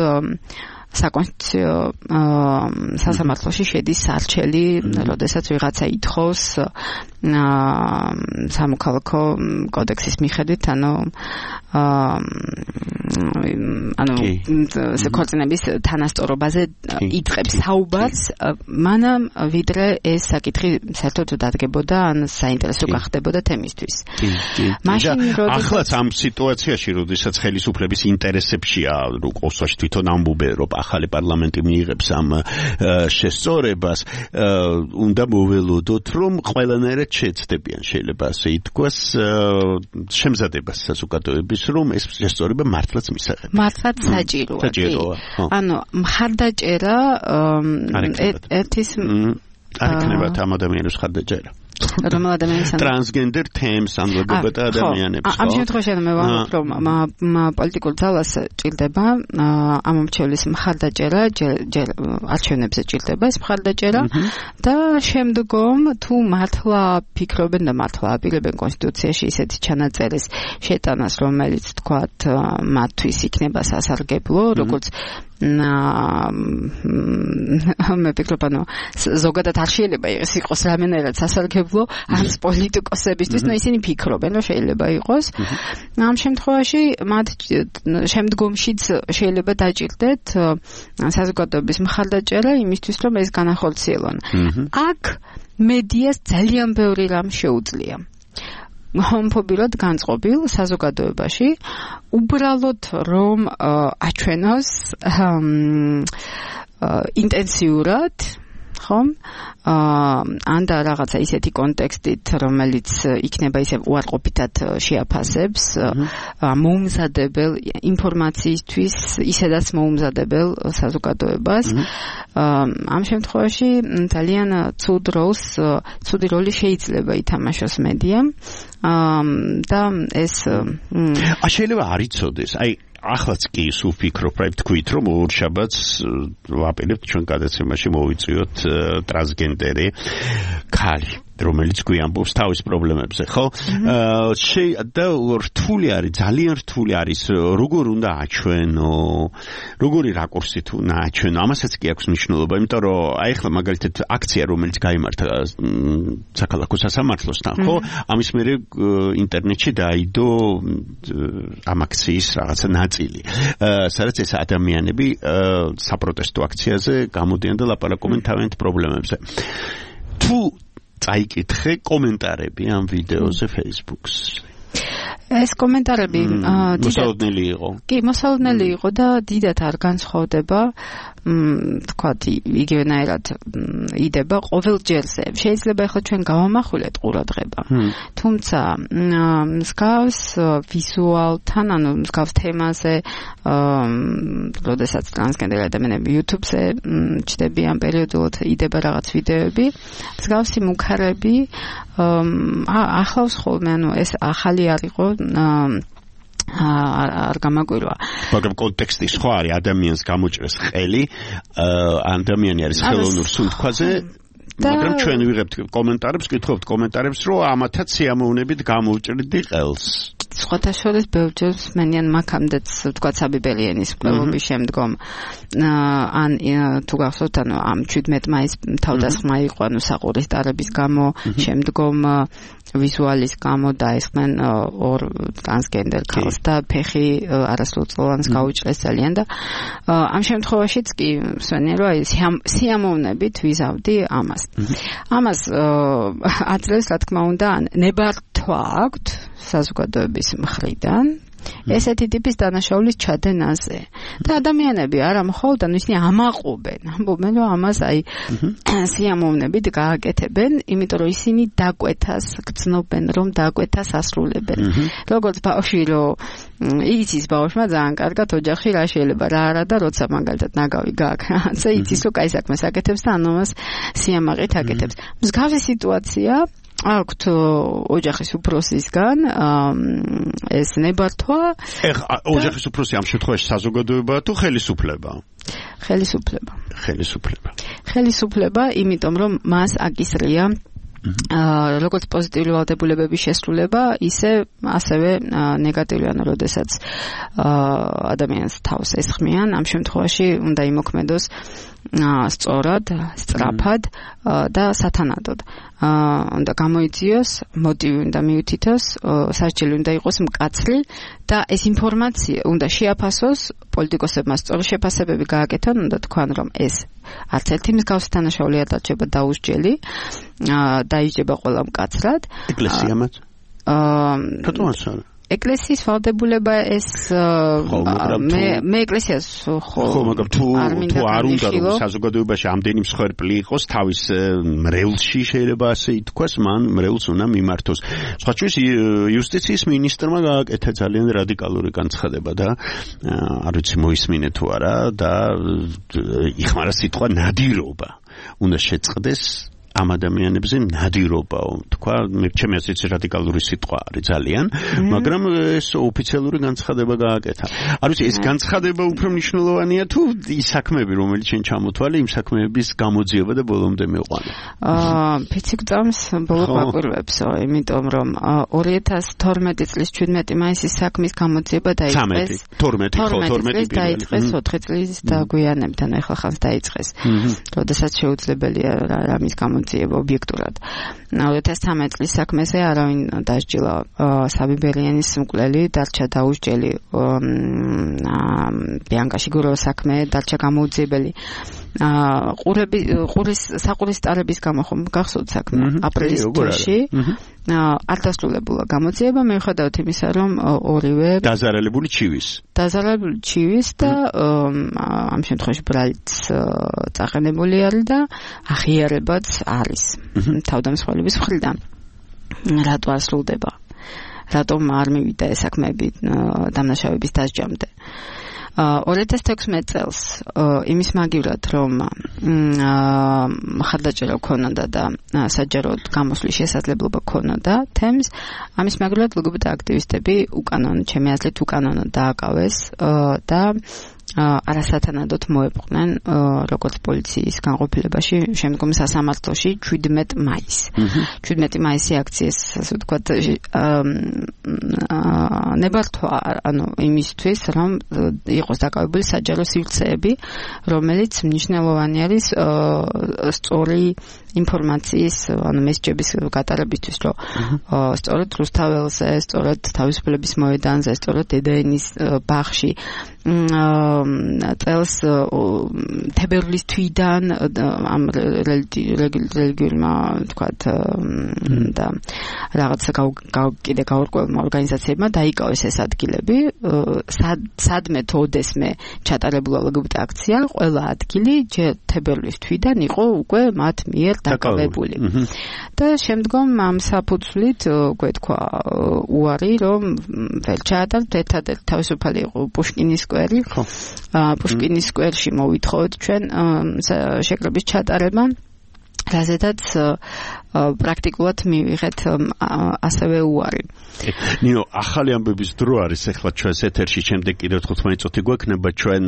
Speaker 9: საკონსტიტუციო სასამართლოში შედის სარჩელი, როდესაც ვიღაცა ითხოვს სამოქალაქო კოდექსის მიხედვით, ანუ ანუ ქორწინების თანასწორობაზე იწყებს საუბარს, მანამ ვიდრე ეს საკითხი საერთოდ დადგებოდა, ან საინტერესო გახდებოდა თემისთვის.
Speaker 3: მაშინ ახლაც ამ სიტუაციაში, როდესაც ხელისუფლების ინტერესებშია, რუსეთში თვითონ ამბობენ, რომ ახალი პარლამენტი მიიღებს ამ შესწორებას, უნდა მოველოდოთ, რომ ყველანაირად შეეცდებიან, შეიძლება ასე ითქვას, შემზადებას საზოგადოების, რომ ეს შესწორება მართლაც მისაღებია.
Speaker 9: მართლაც საჭიროა.
Speaker 3: საჭიროა.
Speaker 9: ანუ მხარდაჭერა ერთის
Speaker 3: არ იქნება ამ ადამიანის მხარდაჭერა.
Speaker 9: რომელ ადამიანს
Speaker 3: ტრანსგენდერ თემს ან ლგბტ ადამიანებს.
Speaker 9: ამ შემთხვევაში მე ვამბობ, რომ პოლიტიკურ ძალას ჭირდება ამ მომჩევლის მხარდაჭერა, ჯერ არჩევნებზე ჭირდება ეს მხარდაჭერა და შემდგომ თუ მართლა ფიქრობენ და მართლა აპირებენ კონსტიტუციაში ისეთი ჩანაწერის შეტანას, რომელიც თქვათ მათთვის იქნება სასარგებლო, როგორც მე ვფიქრობ, ანუ ზოგადად არ შეიძლება ეს იყოს რამენერად სასარგებლო არც პოლიტიკოსებისთვის, ნუ ისინი ფიქრობენ, რომ შეიძლება იყოს. ამ შემთხვევაში მათ შემდგომშიც შეიძლება დაჭირდეთ საზოგადოების მხარდაჭერა იმისთვის, რომ ეს განახორციელონ. აქ მედიას ძალიან ბევრი რამ შეუძლია. ჰომოფობიურად განწყობილ საზოგადოებაში უბრალოდ რომ აჩვენოს ინტენსიურად, ხომ? ან და რაღაცა ისეთი კონტექსტით, რომელიც იქნება ისე უარყოფითად შეაფასებს მოუმზადებელ ინფორმაციისთვის, ისედაც მოუმზადებელ საზოგადოებას. ამ შემთხვევაში ძალიან ცუდ როლს, ცუდი როლი შეიძლება ითამაშოს მედიამ და ეს
Speaker 3: შეიძლება არ იცოდეს. აი ახლაც კი სულ ვფიქრობ, რა ვთქვით, რომ ორშაბათს ვაპირებთ ჩვენ გადაცემაში მოვიწვიოთ ტრანსგენდერი ქალი, რომელიც გვიამბობს თავის პრობლემებზე, ხო? და რთული არის, ძალიან რთული არის, როგორ უნდა აჩვენო, როგორი რაკურსით უნდა აჩვენო, ამასაც კი აქვს მნიშვნელობა, იმიტომ რომ აი ახლა მაგალითად აქცია, რომელიც გაიმართა საქალაქო სასამართლოსთან, ხო? ამის მერე ინტერნეტში დაიდო ამ აქციის რაღაცა ნაწილი, სადაც ეს ადამიანები საპროტესტო აქციაზე გამოდიან და ლაპარაკობენ თავიანთ პრობლემებზე. თუ წაიკითხე კომენტარები ამ ვიდეოზე Facebook-ს.
Speaker 9: ეს კომენტარები
Speaker 3: მოსალოდნელი იყო.
Speaker 9: კი, მოსალოდნელი იყო და დიდად არ განსხვავდება, თქვათ, იგივენაირად იდება ყოველ ჯერზე. შეიძლება ახლა ჩვენ გავამახვილეთ ყურადღება. თუმცა მსგავს ვიზუალთან, ანუ მსგავს თემაზე, როდესაც ტრანსგენდერი ადამიანები YouTube-ზე ჩდებიან პერიოდულად, იდება რაღაც ვიდეოები, მსგავსი მუქარები ახლავს ხოლმე, ანუ ეს ახალი არ იყო არ გამაკვირვა.
Speaker 3: მაგრამ კონტექსტი სხვა არის, ადამიანს გამოჭრეს ხელი, ადამიანი არის ხელოვნურ სუნთქვაზე, მაგრამ ჩვენ ვიღებთ კომენტარებს, გითხოვთ კომენტარებს, რომ ამათაც სიამოვნებით გამოვჭრდი ყელს.
Speaker 9: სხვათა შორის ბევრჯერ მენიან მაქამდეც თქვა საბიბელიანის კვლევების შემდგომ ან თუ გახსოვთ, ანუ ამ შვიდმეტ მაისს თავდასხმა იყო, ანუ საყურის ტარების გამო, შემდგომ ვიზუალის გამო დაესხნენ ორ ტრანსგენდერ ქალს და ფეხი არასრულწლოვანს გაუჭრეს ძალიან და ამ შემთხვევაშიც კი მსვენია, რომ აი სიამოვნებით ვიზავდი ამას. ამას აძლევს, რა თქმა უნდა, ნებართვა აქვთ საზოგადოების მხრიდან, ესეთი ტიპის დანაშაულის ჩადენაზე. და ადამიანები არა მხოლოდ ანუ ისინი ამაყობენ, ამბობენ რომ ამას აი სიამოვნებით გააკეთებენ, იმიტომ რომ ისინი დაკვეთას გრძნობენ, რომ დაკვეთას ასრულებენ. როგორც ბავშვი რომ იცის ბავშვმა ძალიან კარგად ოჯახში რა შეიძლება რა არა და როცა მაგალითად ნაგავი გააქვს, რაცა იცის რომ კაი საქმეს აკეთებს და ანუ მას სიამაყით აკეთებს. მსგავსი სიტუაცია აქვთ ოჯახის უფროსისგან ეს ნებართვა.
Speaker 3: ეხლა ოჯახის უფროსი ამ შემთხვევაში საზოგადოებაა თუ ხელისუფლება?
Speaker 9: ხელისუფლება.
Speaker 3: ხელისუფლება.
Speaker 9: ხელისუფლება, იმიტომ რომ მას აკისრია აა როგორც პოზიტიური ვალდებულებების შესრულება, ისე ასევე ნეგატიური, ანუ როდესაც აა ადამიანს თავს ესხმიან, ამ შემთხვევაში უნდა იმოქმედოს სწორად, სწრაფად და სათანადოდ. უნდა გამოიძიოს, მოტივი უნდა მიუთითოს, სასჯელი უნდა იყოს მკაცრი და ეს ინფორმაცია უნდა შეაფასოს, პოლიტიკოსებმა სწორი შეფასებები გააკეთონ, უნდა თქვან, რომ ეს არც ერთი მსგავსი დანაშაული არ დარჩება დაუსჯელი, დაიჯდება ყველა მკაცრად.
Speaker 3: ეკლესიამაც? აა, რატომაც არა?
Speaker 9: ეკლესიის ვალდებულება ეს მე მე ეკლესიას ხო
Speaker 3: ხო მაგრამ თუ თუ არ უნდა რომ საზოგადოებაში ამდენი მსხვერპლი იყოს თავის მრევლში შეიძლება ასე ითქვას მან მრევლს უნდა მიმართოს. სხვა ჩვენს იუსტიციის მინისტრმა გააკეთა ძალიან რადიკალური განცხადება და არ ვიცი მოისმინე თუ არა და იხმარა სიტყვა ნადირობა უნდა შეწყდეს ამ ადამიანებზე ნადირობაო თქვა მე ჩემი აზრით რადიკალური სიტყვა არის ძალიან მაგრამ ეს ოფიციალური განცხადება გააკეთა. არ ვიცი ეს განცხადება უფრო მნიშვნელოვანია თუ ის საქმეები რომელიც შენ ჩამოთვალე იმ საქმეების გამოძიება და ბოლომდე მეყვანა.
Speaker 9: აა ფიციკწამს ბოლო კვირვებსო იმიტომ რომ ორი ათას თორმეტი წლის შვიდმეტი მაისის საქმის გამოძიება დაიწყეს
Speaker 3: თორმეტი ხო თორმეტი
Speaker 9: დაიწყეს ოთხი წლის დაგვიანებთან ახლა ხანს დაიწყეს. როდესაც შეუძლებელია რამის გამო ობიექტურად. ორი ათას თერთმეტი წლის საქმეზე არავინ დასჯილა საბიბერიანის მკვლელი დარჩა დაუსჯელი ბიანკა შიგუროვას საქმე დარჩა გამოუძიებელი. ყურები ყურის საყურის სტარების გამო ხომ გახსოვთ საქმე აპრილის თვეში არ დასრულებულა გამოძიება მიუხედავად იმისა რომ ორივე
Speaker 3: დაზარალებული ჩივის
Speaker 9: დაზარალებული ჩივის და ამ შემთხვევაში ბრალიც წაყენებული არის და აღიარებაც არის თავდამსხმელების მხრიდან რატო არ სრულდება რატომ არ მივიდა ეს საქმეები დამნაშავების დასჯამდე ორი ათას თექვსმეტი წელს იმის მაგივრად რომ მხარდაჭერა ქონოდა და საჯაროდ გამოსვლის შესაძლებლობა ქონოდა თემს ამის მაგივრად ლგბტ აქტივისტები უკანონო ჩემი აზრით უკანონო დააკავეს და არასათანადოდ მოეპყნენ როგორც პოლიციის განყოფილებაში შემდგომ სასამართლოში შვიდმეტი მაისი. შვიდმეტი მაისი აქციის ასე ვთქვათ ნებართვა ანუ იმისთვის რომ იყოს დაკავებული საჯარო სივრცეები რომელიც მნიშვნელოვანი არის სწორი ინფორმაციის ანუ მესჯების გატარებისთვის რომ სწორედ რუსთაველზე სწორედ თავისუფლების მოედანზე სწორედ დედაენის ბაღში წელს თებერვლის თვიდან ამ რელიგიურმა თქვათ და რაღაცა კიდე გაურკვევლმა ორგანიზაციებმა დაიკავეს ეს ადგილები სადმე თოდესმე ჩატარებულა ლგბტ აქცია ყველა ადგილი თებერვლის თვიდან იყო უკვე მათ მიერ დაკავებული და შემდგომ ამ საფუძვლით უკვე თქვა უარი რომ ვერ ჩაატარებთ ერთადერთი თავისუფალი იყო პუშკინის სკვერი პუშკინის სკვერში მოვითხოვოთ ჩვენ შეკრების ჩატარება რაზედაც პრაქტიკულად მივიღეთ ასევე უარი.
Speaker 3: ნინო, ახალი ამბების დრო არის ახლა ჩვენს ეთერში, შემდეგ კიდევ თხუთმეტი წუთი გვექნება ჩვენ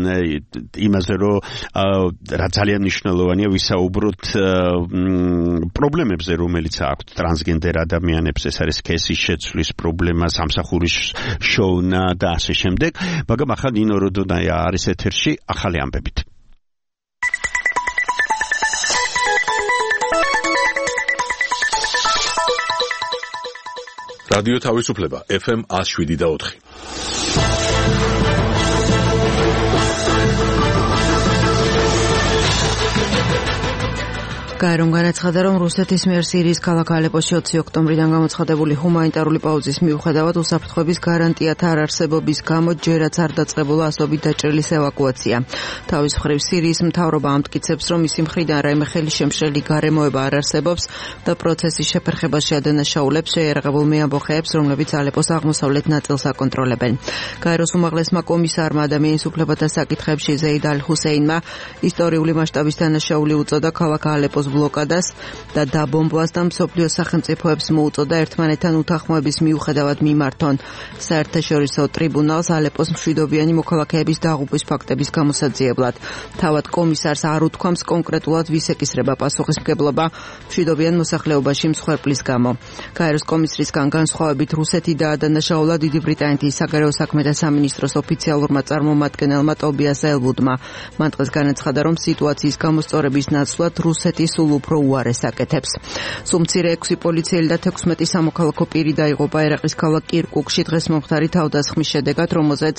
Speaker 3: იმაზე, რომ რა ძალიან მნიშვნელოვანია ვისაუბროთ პრობლემებზე, რომელიც აქვთ ტრანსგენდერ ადამიანებს, ეს არის სქესის შეცვლის პრობლემა, სამსახურის შოვნა და ასე შემდეგ, მაგრამ ახლა ნინო როდონაია არის ეთერში ახალი ამბებით.
Speaker 1: რადიო თავისუფლება ეფ ემ ნული შვიდი და ოთხი.
Speaker 2: გაერომ განაცხადა, რომ რუსეთის მიერ სირიის ქალაქ ალეპოში ოცი ოქტომბრიდან გამოცხადებული ჰუმანიტარული პაუზის მიუხედავად უსაფრთხოების გარანტიათა არარსებობის გამო ჯერაც არ დაწყებულა ასობით დაჭრილის ევაკუაცია. თავის მხრივ სირიის მთავრობა ამტკიცებს, რომ მისი მხრიდან რაიმე ხელისშემშლელი გარემოება არ არსებობს და პროცესის შეფერხებაში ადანაშაულებს შეიარაღებულ მეამბოხეებს, რომლებიც ალეპოს აღმოსავლეთ ნაწილს აკონტროლებენ. გაეროს უმაღლესმა კომისარმა ადამიანის უფლებათა საკითხებში ზეიდ ალ-ჰუსეინმა ისტორიული მასშტაბის დანაშაული უწოდა ქალაქ ალეპოს ბლოკადას და დაბომბვას და მსოფლიოს სახელმწიფოებს მოუწოდა ერთმანეთთან უთანხმოების მიუხედავად მიმართონ საერთაშორისო ტრიბუნალს ალეპოს მშვიდობიანი მოქალაქეების დაღუპვის ფაქტების გამოსაძიებლად. თავად კომისარს არ უთქვამს კონკრეტულად ვის ეკისრება პასუხისმგებლობა მშვიდობიან მოსახლეობაში მსხვერპლის გამო. გაეროს კომისრისგან განსხვავებით რუსეთი დაადანაშაულა დიდი ბრიტანეთის საგარეო საქმეთა სამინისტროს ოფიციალურმა წარმომადგენელმა ტობიას ელვუდმა. მან დღეს განაცხადა, რომ სიტუაციის გამოსწორების ნაცვლად რუსეთი სულ უფრო უარეს აკეთებს. სულ მცირე ექვსი პოლიციელი და თექვსმეტი სამოქალაქო პირი დაიღუპა ერაყის ქალაქ კირკუკში დღეს მომხდარი თავდასხმის შედეგად, რომელზეც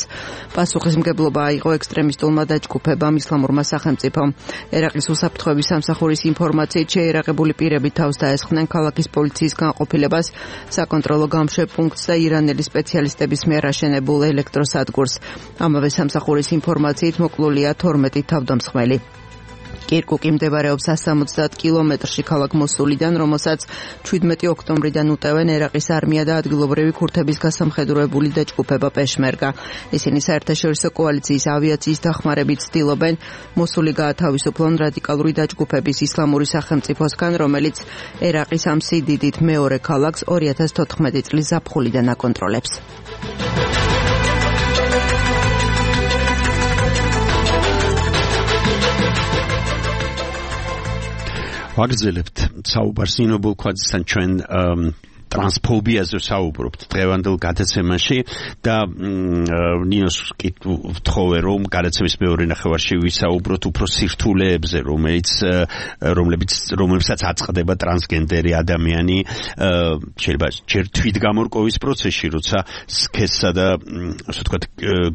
Speaker 2: პასუხისმგებლობა აიღო ექსტრემისტულმა დაჯგუფებამ ისლამურმა სახელმწიფომ. ერაყის უსაფრთხოების სამსახურის ინფორმაციით შეიარაღებული პირები თავს დაესხნენ ქალაქის პოლიციის განყოფილებას, საკონტროლო გამშვებ პუნქტს და ირანელი სპეციალისტების მიერ აშენებულ ელექტროსადგურს. ამავე სამსახურის ინფორმაციით მოკლულია თორმეტი თავდამსხმელი. კირკუკი მდებარეობს სამოცდაათ კილომეტრში ქალაქ მოსულიდან, რომელსაც შვიდმეტი ოქტომბრიდან უტევენ ერაყის არმია და ადგილობრივი ქურთების გასამხედროებული დაჯგუფება პეშმერგა. ისინი საერთაშორისო კოალიციის ავიაციის დახმარებით ცდილობენ მოსული გაათავისუფლონ რადიკალური დაჯგუფების ისლამური სახელმწიფოსგან, რომელიც ერაყის ამ სიდიდით მეორე ქალაქს ორი ათას თოთხმეტი წლის ზაფხულიდან აკონტროლებს.
Speaker 3: ვაგრძელებთ საუბარს ინობულ ქვაზისთან ჩვენ ტრანსფობიაზე საუბრობთ დღევანდელ გადაცემაში და ნინოს ვთხოვე რომ გადაცემის მეორე ნახევარში ვისაუბროთ უფრო სირთულეებზე, რომელიც რომლებიც რომლებსაც აწყდება ტრანსგენდერი ადამიანი შეიძლება ჯერ თვითგამორკვევის პროცესში, როცა სქესსა და ასე ვთქვათ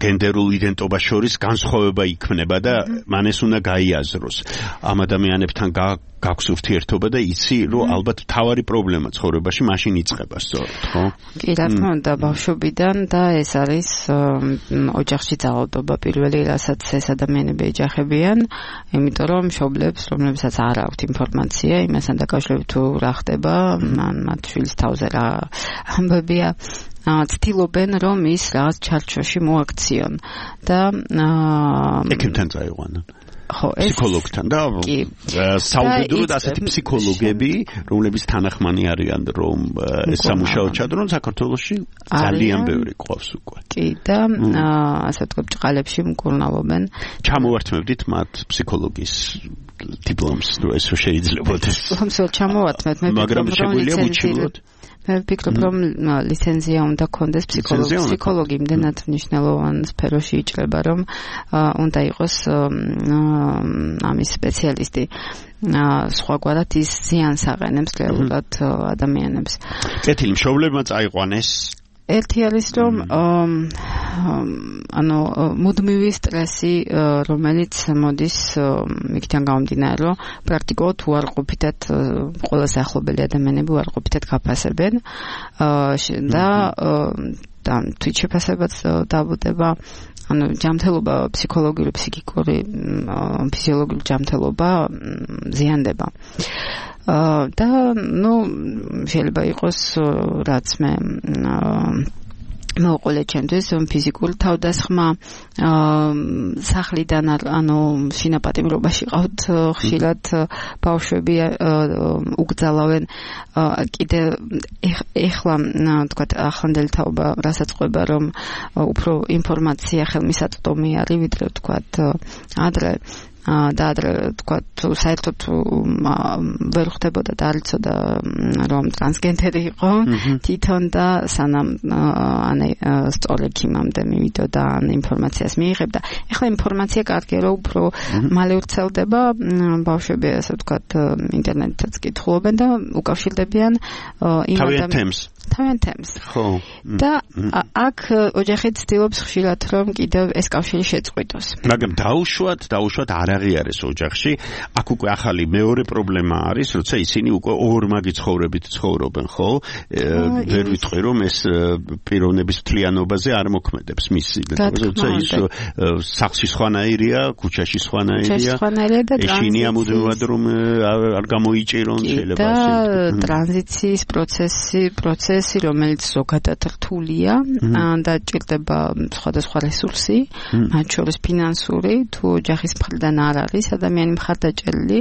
Speaker 3: გენდერულ იდენტობას შორის განსხვავება იქმნება და მან ეს უნდა გაიაზროს. ამ ადამიანებთან გაქვს ურთიერთობა და იცი რომ ალბათ თავარი პრობლემა ცხოვრებაში მაშინ იწყება სწორად, ხო?
Speaker 9: კი, რა თქმა უნდა, ბავშვობიდან და ეს არის ოჯახში ძალადობა პირველი, რასაც ეს ადამიანები ეჯახებიან, იმიტომ რომ მშობლებს, რომლებსაც არ აქვთ ინფორმაცია იმასთან დაკავშირებით თუ რა ხდება, მათ შვილის თავზე რა ამბებია, ცდილობენ რომ ის რაღაც ჩარჩოში მოაქციონ და
Speaker 3: ექიმთან წაიყვანონ.
Speaker 9: ხო, ეს
Speaker 3: ფსიქოლოგთან და საუბედუროდ ასეთი ფსიქოლოგები, რომლებიც თანახმანი არიან რომ ეს სამუშაო ჩადრონ საქართველოში ძალიან ბევრი ყავს უკვე.
Speaker 9: კი და ასე ვთქვათ, ჭყალებში მკურნალობენ.
Speaker 3: ჩამოვართმევდით მათ ფსიქოლოგის დიპლომს, რომ ეს შეიძლებაოდეს.
Speaker 9: ხომ ჩამოვართმევთ, მე
Speaker 3: მაგრამ შეგვიძლია უჩინოთ.
Speaker 9: მე ვფიქრობ, რომ ლიცენზია უნდა კონდეს ფსიქოლოგი. ფსიქოლოგი იმდენად მნიშვნელოვან სფეროში იჭრება, რომ უნდა იყოს ამის სპეციალისტი. სხვაგვარად ის ზიანს აყენებს რეალურად ადამიანებს.
Speaker 3: კეთილი, მშობლებმა წაიყვანეს.
Speaker 9: ერთი არის რომ ანუ მუდმივი სტრესი, რომელიც მოდის იქიდან გამომდინარე, რომ პრაქტიკულად უარყოფითად ყველა საახლობელი ადამიანები უარყოფითად გაფასებენ და და თვითშეფასებაც დავუდება. ანუ ჯანმრთელობა, ფსიქოლოგიური, ფსიქიკური, ფიზიოლოგიური ჯანმრთელობა ზიანდება. და ნუ შეიძლება იყოს რაც მე მოუყოლე ჩემთვის ფიზიკური თავდასხმა სახლიდან ანუ შინაპატიმრობაში ყავთ ხშირად ბავშვები უგზალავენ კიდე ეხლა თქვათ ახლანდელი თაობა რასაც ყვება რომ უფრო ინფორმაცია ხელმისაწვდომი არის ვიდრე თქვათ ადრე და ადრე თქვათ საერთოდ ვერ ხდებოდა და არ იცოდა რომ ტრანსგენდერი იყო თვითონ და სანამ ან სწორ ექიმამდე მივიდოდა ან ინფორმაციას მიიღებდა. ეხლა ინფორმაცია კარგია რომ უფრო მალე ვრცელდება, ბავშვები ასე ვთქვათ ინტერნეტითაც კითხულობენ და უკავშირდებიან იმ ადამიანს თავენ თემს.
Speaker 3: ხო.
Speaker 9: და აქ ოჯახი ცდილობს ხშირად რომ კიდევ ეს კავშირი შეწყვიტოს.
Speaker 3: მაგრამ დაუშვათ, დაუშვათ არ აღიარეს ოჯახში, აქ უკვე ახალი მეორე პრობლემა არის, როცა ისინი უკვე ორმაგი ცხოვრებით ცხოვრობენ, ხო? ვერ ვიტყვი რომ ეს პიროვნების მთლიანობაზე არ მოქმედებს მისი, როცა ის სახლში სხვანაირია, ქუჩაში სხვანაირია, ეშინია მუდმივად რომ არ გამოიჭირონ შეიძლება
Speaker 9: და ტრანზიციის პროცესი, პროცესი, რომელიც ზოგადად რთულია და ჭირდება სხვადასხვა რესურსი, მათ შორის ფინანსური, თუ ოჯახის მხრიდან არ არის ადამიანი მხარდაჭერილი,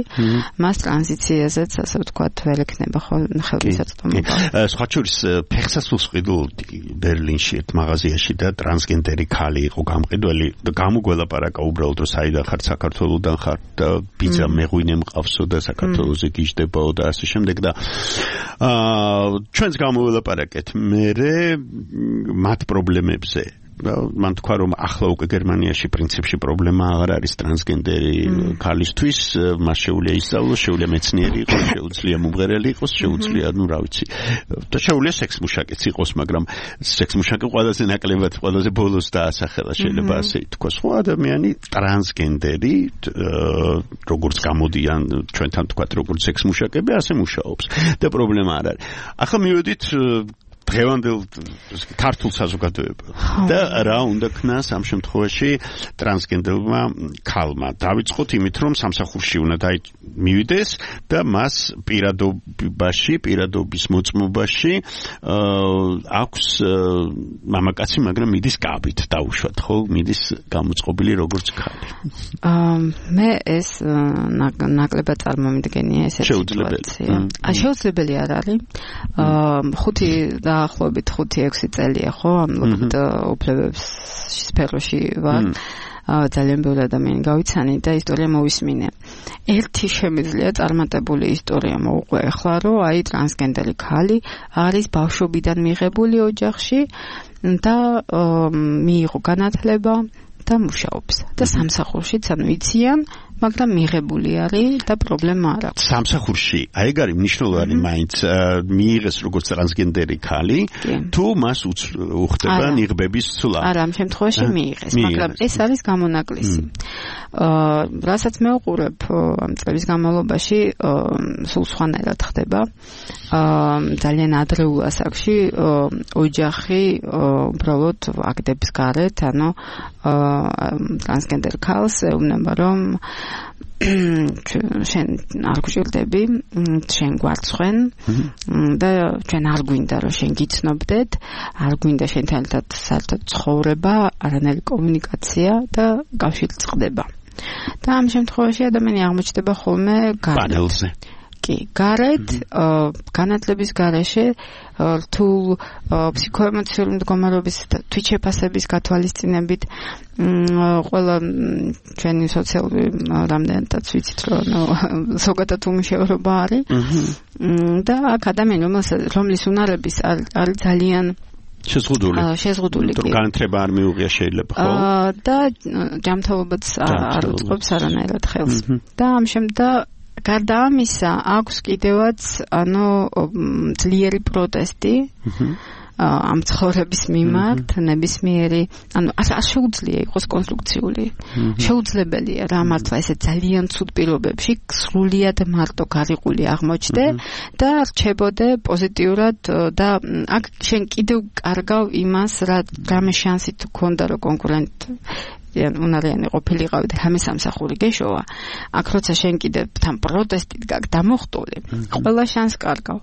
Speaker 9: მას ტრანზიციაზეც ასე ვთქვათ ვერ ექნება ხელმისაწვდომობა.
Speaker 3: სხვა შორის ფეხსასრულს ყიდულობდი ბერლინში ერთ მაღაზიაში და ტრანსგენდერი ქალი იყო გამყიდველი და გამოგველაპარაკა უბრალოდ რომ საიდან ხარ, საქართველოდან ხარ და ბიძა მეღვინე მყავსო და საქართველოზე გიждდებაო და ასე შემდეგ და აა ჩვენს გამოველაპარაკეთ მერე მათ პრობლემებზე მან თქვა რომ ახლა უკვე გერმანიაში პრინციპში პრობლემა აღარ არის ტრანსგენდერი ქალისთვის, მას შეუძლია ისწავლოს, შეუძლია მეცნიერი იყოს, შეუძლია მომღერალი იყოს, შეუძლია, ну, რა ვიცი. და შეუძლია სექსმუშაკიც იყოს, მაგრამ სექსმუშაკი ყველაზე ნაკლებად, ყველაზე ბოლოს დაასახელა, შეიძლება ასე ითქვას. ხო ადამიანი ტრანსგენდერი, როგორც გამოდიან ჩვენთან თქვათ, როგორც სექსმუშაკები, ასე მუშაობს. და პრობლემა არ არის. ახლა მივედით დღევანდელ ქართულ საზოგადოებაში და რა უნდა ქნას ამ შემთხვევაში ტრანსგენდერმა ქალმა დავიწყოთ იმით რომ სამსახურში უნდა მივიდეს და მას პირადობაში პირადობის მოწმობაში აქვს მამაკაცი მაგრამ მიდის გაბით დაუშვათ ხო მიდის გამოწყობილი როგორც ქალი
Speaker 9: მე ეს ნაკლებად წარმომიდგენია ესეთი სიტუაცია ა შეუძლებელი არ არის ხუთი და ახლობით ხუთი ექვსი წელია ხო ამ ლოგბიტ უფლებების სფეროში ვარ ძალიან ბევრი ადამიანი გავიცანი და ისტორია მოვისმინე ერთი შემიძლია წარმატებული ისტორია მოუყვე ახლა რომ აი ტრანსგენდერი ქალი არის ბავშვობიდან მიღებული ოჯახში და მიიღო განათლება და მუშაობს და სამსახურშიც ანუ იციან მაგრამ მიღებული არის და პრობლემა არ აქვს.
Speaker 3: სამსახურში, აი ეგ არის მნიშვნელოვანი მაინც მიიღეს როგორც ტრანსგენდერი ქალი, თუ მას უხდება ნიღბების ცვლა.
Speaker 9: არა, ამ შემთხვევაში მიიღეს, მაგრამ ეს არის გამონაკლისი. აა, რასაც მე ვუყურებ ამ წლების განმავლობაში, სულ სხვანაირად ხდება. აა, ძალიან ადრეულ ასაკში ოჯახი უბრალოდ აგდებს გარეთ, ანუ ტრანსგენდერ ქალს ეუბნება რომ შენ არ გჭირდები, შენ გვარცხვენ და ჩვენ არ გვინდა რომ შენ გიცნობდეთ, არ გვინდა შენთან ერთად საერთოდ ცხოვრება, არანაირი კომუნიკაცია და კავშირი წყდება. და ამ შემთხვევაში ადამიანი აღმოჩნდება ხოლმე
Speaker 3: პანელზე.
Speaker 9: კი, გარეთ, განათლების გარეშე რთულ ფსიქოემოციური მდგომარეობის თვითშეფასების გათვალისწინებით ყველა ჩვენი სოციალური რამდენადაც ვიცით რომ ზოგადად უმუშევრობა არის და აქ ადამიანი რომლის უნარების არის ძალიან
Speaker 3: შეზღუდული.
Speaker 9: შეზღუდული.
Speaker 3: განათლება არ მიუღია შეიძლება, ხო?
Speaker 9: და ჯანმრთელობაც არ უწყობს არანაირად ხელს. და ამ შემდგომ გარდა ამისა აქვს კიდევაც ანუ ძლიერი პროტესტი ამ ცხოვრების მიმართ ნებისმიერი ანუ არ შეუძლია იყოს კონსტრუქციული შეუძლებელია რა მართლა ესე ძალიან ცუდ პირობებში სრულიად მარტო გარიყული აღმოჩნდე და რჩებოდე პოზიტიურად და აქ შენ კიდევ კარგავ იმას რა რამე შანსი თუ ქონდა რომ კონკურენტ უნარიანი ყოფილიყავი და რამე სამსახური გეშოვა აქ როცა შენ კიდევ თან პროტესტით გაკ დამოხტული ყველა შანს კარგავ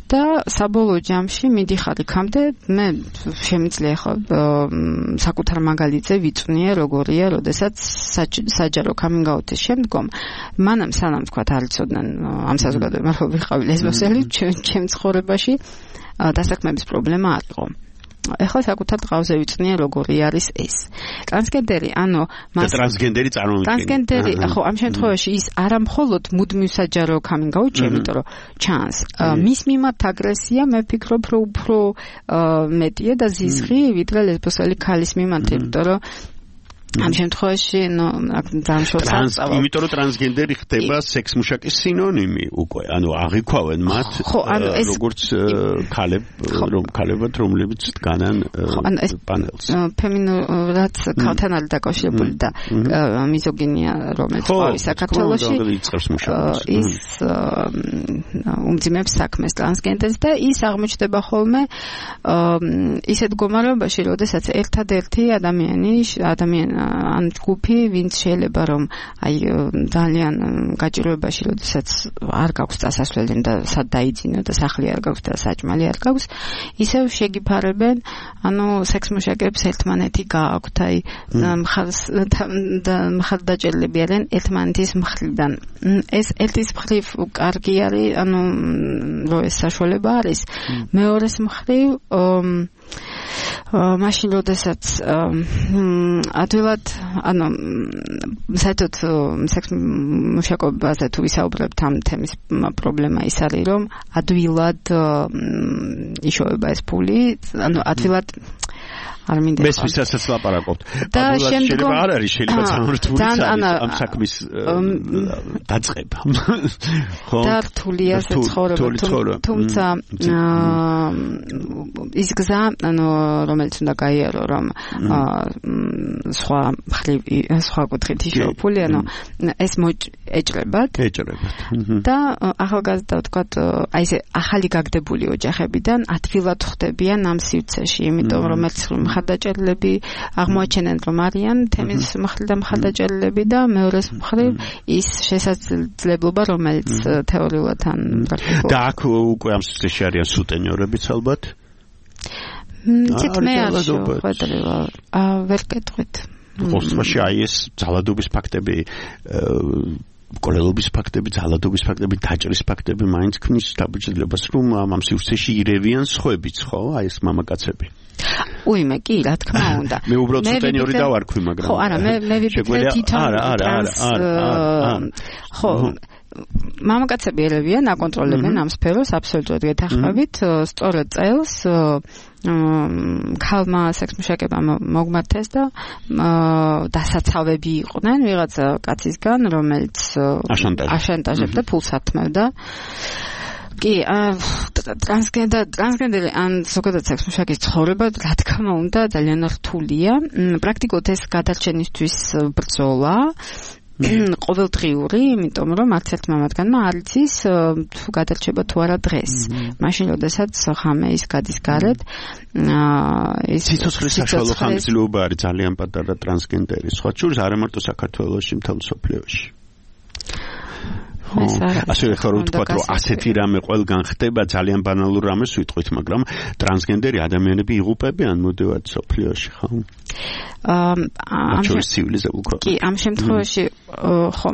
Speaker 9: და საბოლოო ჯამში მიდიხარ იქამდე მე შემიძლია ხო საკუთარ მაგალითზე ვიწვნიე როგორია როდესაც საჯარო coming-out-ის შემდგომ მანამ სანამ თქვა არ იცოდნენ ამ საზოგადოებამ რომ ვიყავი ლესბოსელი ჩემ ცხოვრებაში დასაქმების პრობლემა არ იყო ეხლა საკუთარ ტყავზე ვიწნია როგორი არის ეს. ტრანსგენდერი, ანუ
Speaker 3: მას ტრანსგენდერი წარმოვიდგინე.
Speaker 9: ტრანსგენდერი, ხო, ამ შემთხვევაში ის არა მხოლოდ მუდმივ საჯარო coming-out-ში, იმიტომ რომ ჩანს. მის მიმართ აგრესია, მე ვფიქრობ, რომ უფრო მეტია და ზიზღი, ვიდრე ლესბოსელი ქალის მიმართ, იმიტომ რომ ამ შემთხვევაში ნუ დამშორს
Speaker 3: იმიტომ რომ ტრანსგენდერი ხდება სექსმუშაკის სინონიმი უკვე ანუ აღიქვავენ მათ როგორც ქალებ რომ ქალებად რომლებიც დგანან პანელს
Speaker 9: ფემინურად ქალთან არის დაკავშირებული და მიზოგინია რომელიც ყავს საქართველოში ის უმძიმებს საქმეს ტრანსგენდერს და ის აღმოჩნდება ხოლმე ისეთ მდგომარეობაში როდესაც ერთადერთი ადამიანი ადამიანი ან ჯგუფი ვინც შეიძლება რომ აი ძალიან გაჭირვებაში როდესაც არ გაქვს წასასვლელი და სად დაიძინო და სახლი არ გაქვს და საჭმელი არ გაქვს ისევ შეგიფარებენ ანუ სექსმუშაკებს ერთმანეთი გააქვთ აი მხარს და მხარდაჭერილები არიან ერთმანეთის მხრიდან ეს ერთის მხრივ კარგი არის ანუ რო ეს საშუალება არის მეორეს მხრივ მაშინ როდესაც ადვილად ანუ საერთოდ სექსმუშაკობაზე თუ ვისაუბრებთ ამ თემის პრობლემა ის არის რომ ადვილად იშოვება ეს ფული ანუ αδვილად არ მინდა
Speaker 3: მეს ვისაც ლაპარაკობთ და შეიძლება არ არის შეიძლება სამრთული ამ საქმის დაწყება
Speaker 9: ხო და რთულია ცხოვრება თუმცა ის გზა ანუ რომელიც უნდა გაიარო რომ სხვა მხრივ სხვა კუთხით იშოვა ფული ანუ ეს ეჭრებათ
Speaker 3: ეჭრებათ
Speaker 9: და ახალგაზრდა ვთქვათ აი ესე ახალი გაგდებული ოჯახებიდან ადვილად ხვდებიან ამ სივრცეში იმიტომ რომ ერთ მხარდაჭერილები აღმოაჩენენ რომ არიან თემის მხრიდან მხარდაჭერილები და მეორეს მხრივ ის შესაძლებლობა რომელიც თეორიულად ან პრაქტიკულად
Speaker 3: და აქ უკვე ამ სივრცეში არიან სუტენიორებიც ალბათ
Speaker 9: ცით მე არ შეხვედრილა ვერ კეთხვით
Speaker 3: ხოსტვაში აი ეს ძალადობის ფაქტები კოლელობის ფაქტები, ძალადობის ფაქტები, დაჭრის ფაქტები მაინც ქმნის დაბეჭდილებას, რომ ამ სივრცეში ირევიან სხვებიც, ხო? აი ეს მამაკაცები.
Speaker 9: უიმე, კი, რა თქმა უნდა.
Speaker 3: მე უბრალოდ სუტენიორი დავარქვი, მაგრამ
Speaker 9: ხო, არა, მე მე ვიფიქრე თვითონ ტრანს ხო მამაკაცები ერევიან, აკონტროლებენ ამ სფეროს აბსოლუტურად გეთანხმებით, სწორედ წელს ქალმა სექსმუშაკებმა მოგმართეს და დასაცავები იყვნენ ვიღაცა კაცისგან, რომელიც აშანტაჟებდა, ფულს ათმევდა. კი, ტრანსგენდერ ტრანსგენდერი ან ზოგადად სექსმუშაკის ცხოვრება, რა თქმა უნდა, ძალიან რთულია. პრაქტიკულად ეს გადარჩენისთვის ბრძოლა ყოველდღიური, იმიტომ რომ არც ერთ მამათგანმა არ იცის თუ გადარჩება თუ არა დღეს. მაშინ როდესაც ხამე ის გადის გარეთ,
Speaker 3: ის სიცოცხლის საშუალო ხანგრძლივობა არის ძალიან პატარა ტრანსგენდერის, სხვა შორის არა მარტო საქართველოში, მთელ მსოფლიოში. ასე ხარ ვთქვა რომ ასეთი რამე ყველგან ხდება ძალიან ბანალურ რამეს ვიტყვით მაგრამ ტრანსგენდერი ადამიანები იღუპებიან მოდევად სოფლიოში ხო ამ შემთხვევაში
Speaker 9: კი ამ შემთხვევაში ხო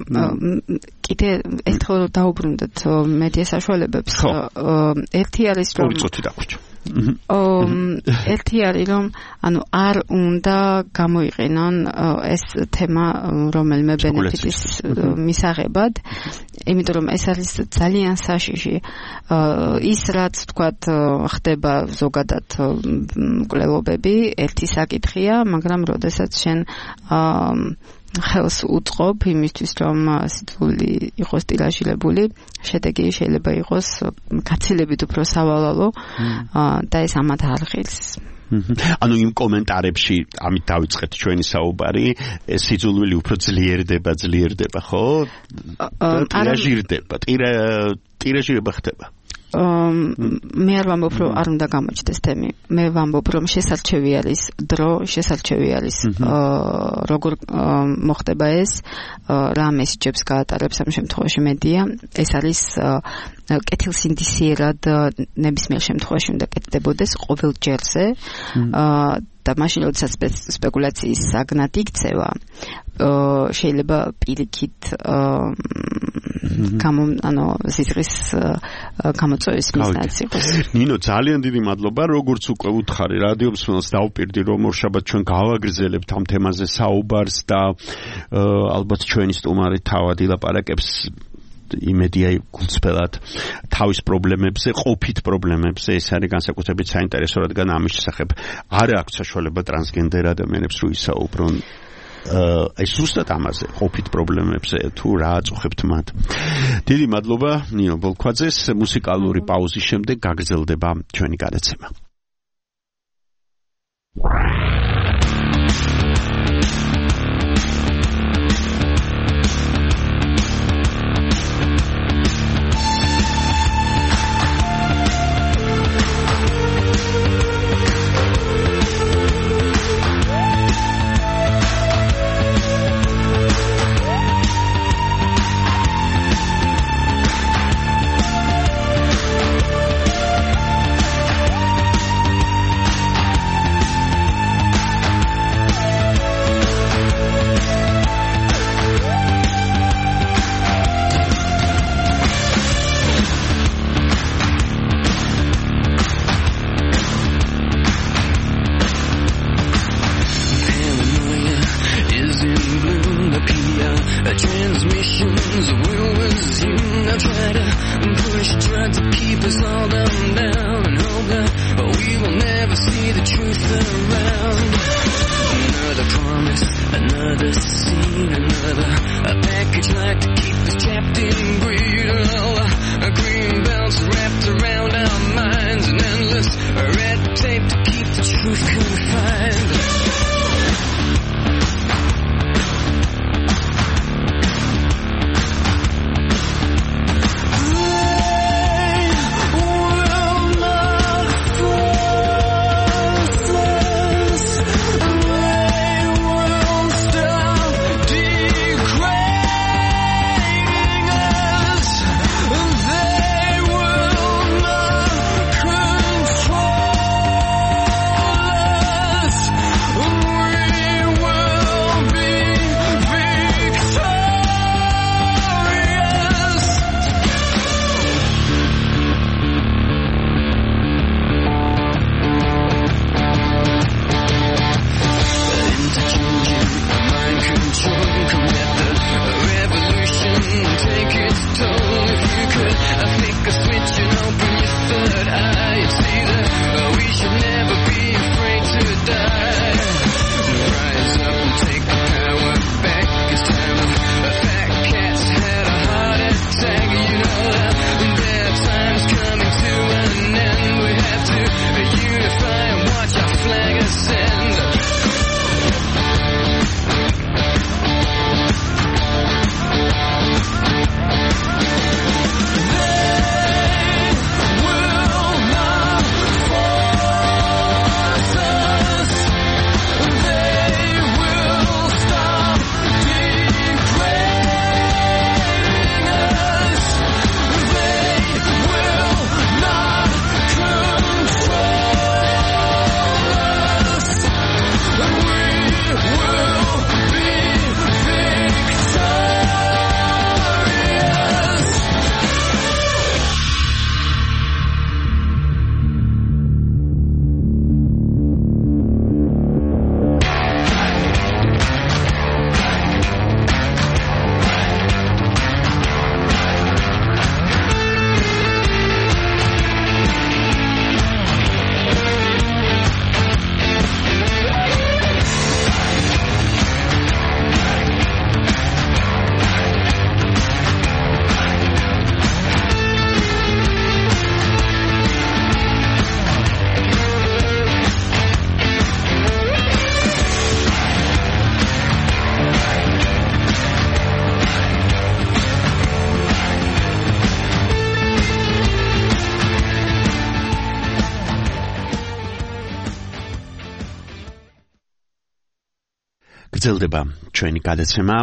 Speaker 9: კიდე ერთხელ დაუბრუნდეთ მედია საშუალებებს ერთი არის რომ
Speaker 3: წუთი დაგვიჭო
Speaker 9: ერთი არის რომ ანუ არ უნდა გამოიყენონ ეს თემა რომელიმე ბენეფიტის მისაღებად იმიტომ რომ ეს არის ძალიან საშიში ის რაც თქვათ ხდება ზოგადად მკვლელობები ერთი საკითხია მაგრამ როდესაც შენ ხელს უწყობ იმისთვის რომ სიტყვილი იყოს ტირაჟირებული შედეგი შეიძლება იყოს გაცილებით უფრო სავალალო და ეს ამათ არ ღირს
Speaker 3: ანუ იმ კომენტარებში ამით დავიწყეთ ჩვენი საუბარი ეს სიძულვილი უფრო ძლიერდება ძლიერდება ხო ტირაჟირდება ტირაჟირება ხდება
Speaker 9: მე არ ვამბობ რომ არ უნდა გამოჩნდეს თემი მე ვამბობ რომ შესარჩევი არის დრო შესარჩევი არის როგორ მოხდება ეს რა მესიჯებს გაატარებს ამ შემთხვევაში მედია ეს არის კეთილსინდისიერად ნებისმიერ შემთხვევაში უნდა კეთდებოდეს ყოველ ჯერზე და მაშინ როდესაც სპეკულაციის საგნად იქცევა შეიძლება პირიქით გამო ანუ სისხლის გამოწვევის მიზნად იყოს.
Speaker 3: ნინო ძალიან დიდი მადლობა როგორც უკვე უთხარი რადიო მსმენელს დავპირდი რომ ორშაბათ ჩვენ გავაგრძელებთ ამ თემაზე საუბარს და ალბათ ჩვენი სტუმარი თავად ილაპარაკებს იმედია გულწრფელად თავის პრობლემებზე, ყოფით პრობლემებზე, ეს არის განსაკუთრებით საინტერესო, რადგან ამის შესახებ არ აქვს საშუალება ტრანსგენდერ ადამიანებს რო ისაუბრონ აი ზუსტად ამაზე ყოფით პრობლემებზე თუ რა აწუხებთ მათ. დიდი მადლობა ნინო ბოლქვაძეს. მუსიკალური პაუზის შემდეგ გაგრძელდება ჩვენი გადაცემა. გრძელდება ჩვენი გადაცემა.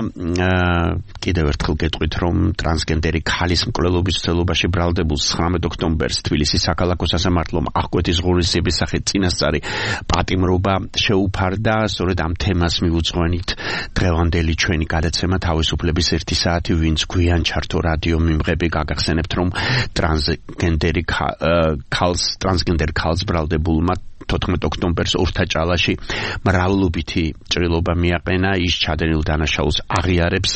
Speaker 3: კიდევ ერთხელ გეტყვით, რომ ტრანსგენდერი ქალის მკვლელობის ცდელობაში ბრალდებულ ცხრამეტ ოქტომბერს თბილისის საქალაქო სასამართლომ აღკვეთის ღონისძიების სახით წინასწარი პატიმრობა შეუფარდა. სწორედ ამ თემას მიუძღვენით დღევანდელი ჩვენი გადაცემა თავისუფლების ერთი საათი, ვინც გვიან ჩართო რადიო მიმღები, გაგახსენებთ, რომ ტრანსგენდერი ქალს ტრანსგენდერ ქალს ბრალდებულმა თოთხმეტ ოქტომბერს ორთაჭალაში მრავლობითი ჭრილობა მიაყენა. ის ჩადენილ დანაშაულს აღიარებს,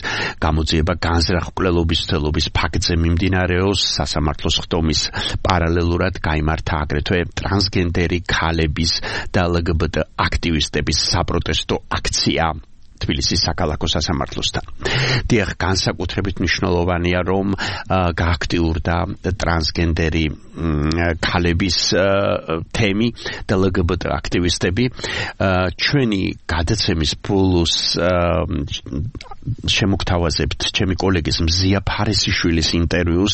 Speaker 3: გამოძიება განზრახ მკვლელობის ცდელობის ფაქტზე მიმდინარეობს. სასამართლოს ხდომის პარალელურად გაიმართა აგრეთვე ტრანსგენდერი ქალების და ელჯიბიტ აქტივისტების საპროტესტო აქცია. თბილისის საქალაქო სასამართლოსთან. დიახ, განსაკუთრებით მნიშვნელოვანია, რომ გააქტიურდა ტრანსგენდერი ქალების თემი და ლგბტ აქტივისტები. ჩვენი გადაცემის ბოლოს შემოგთავაზებთ ჩემი კოლეგის მზია ფარისიშვილის ინტერვიუს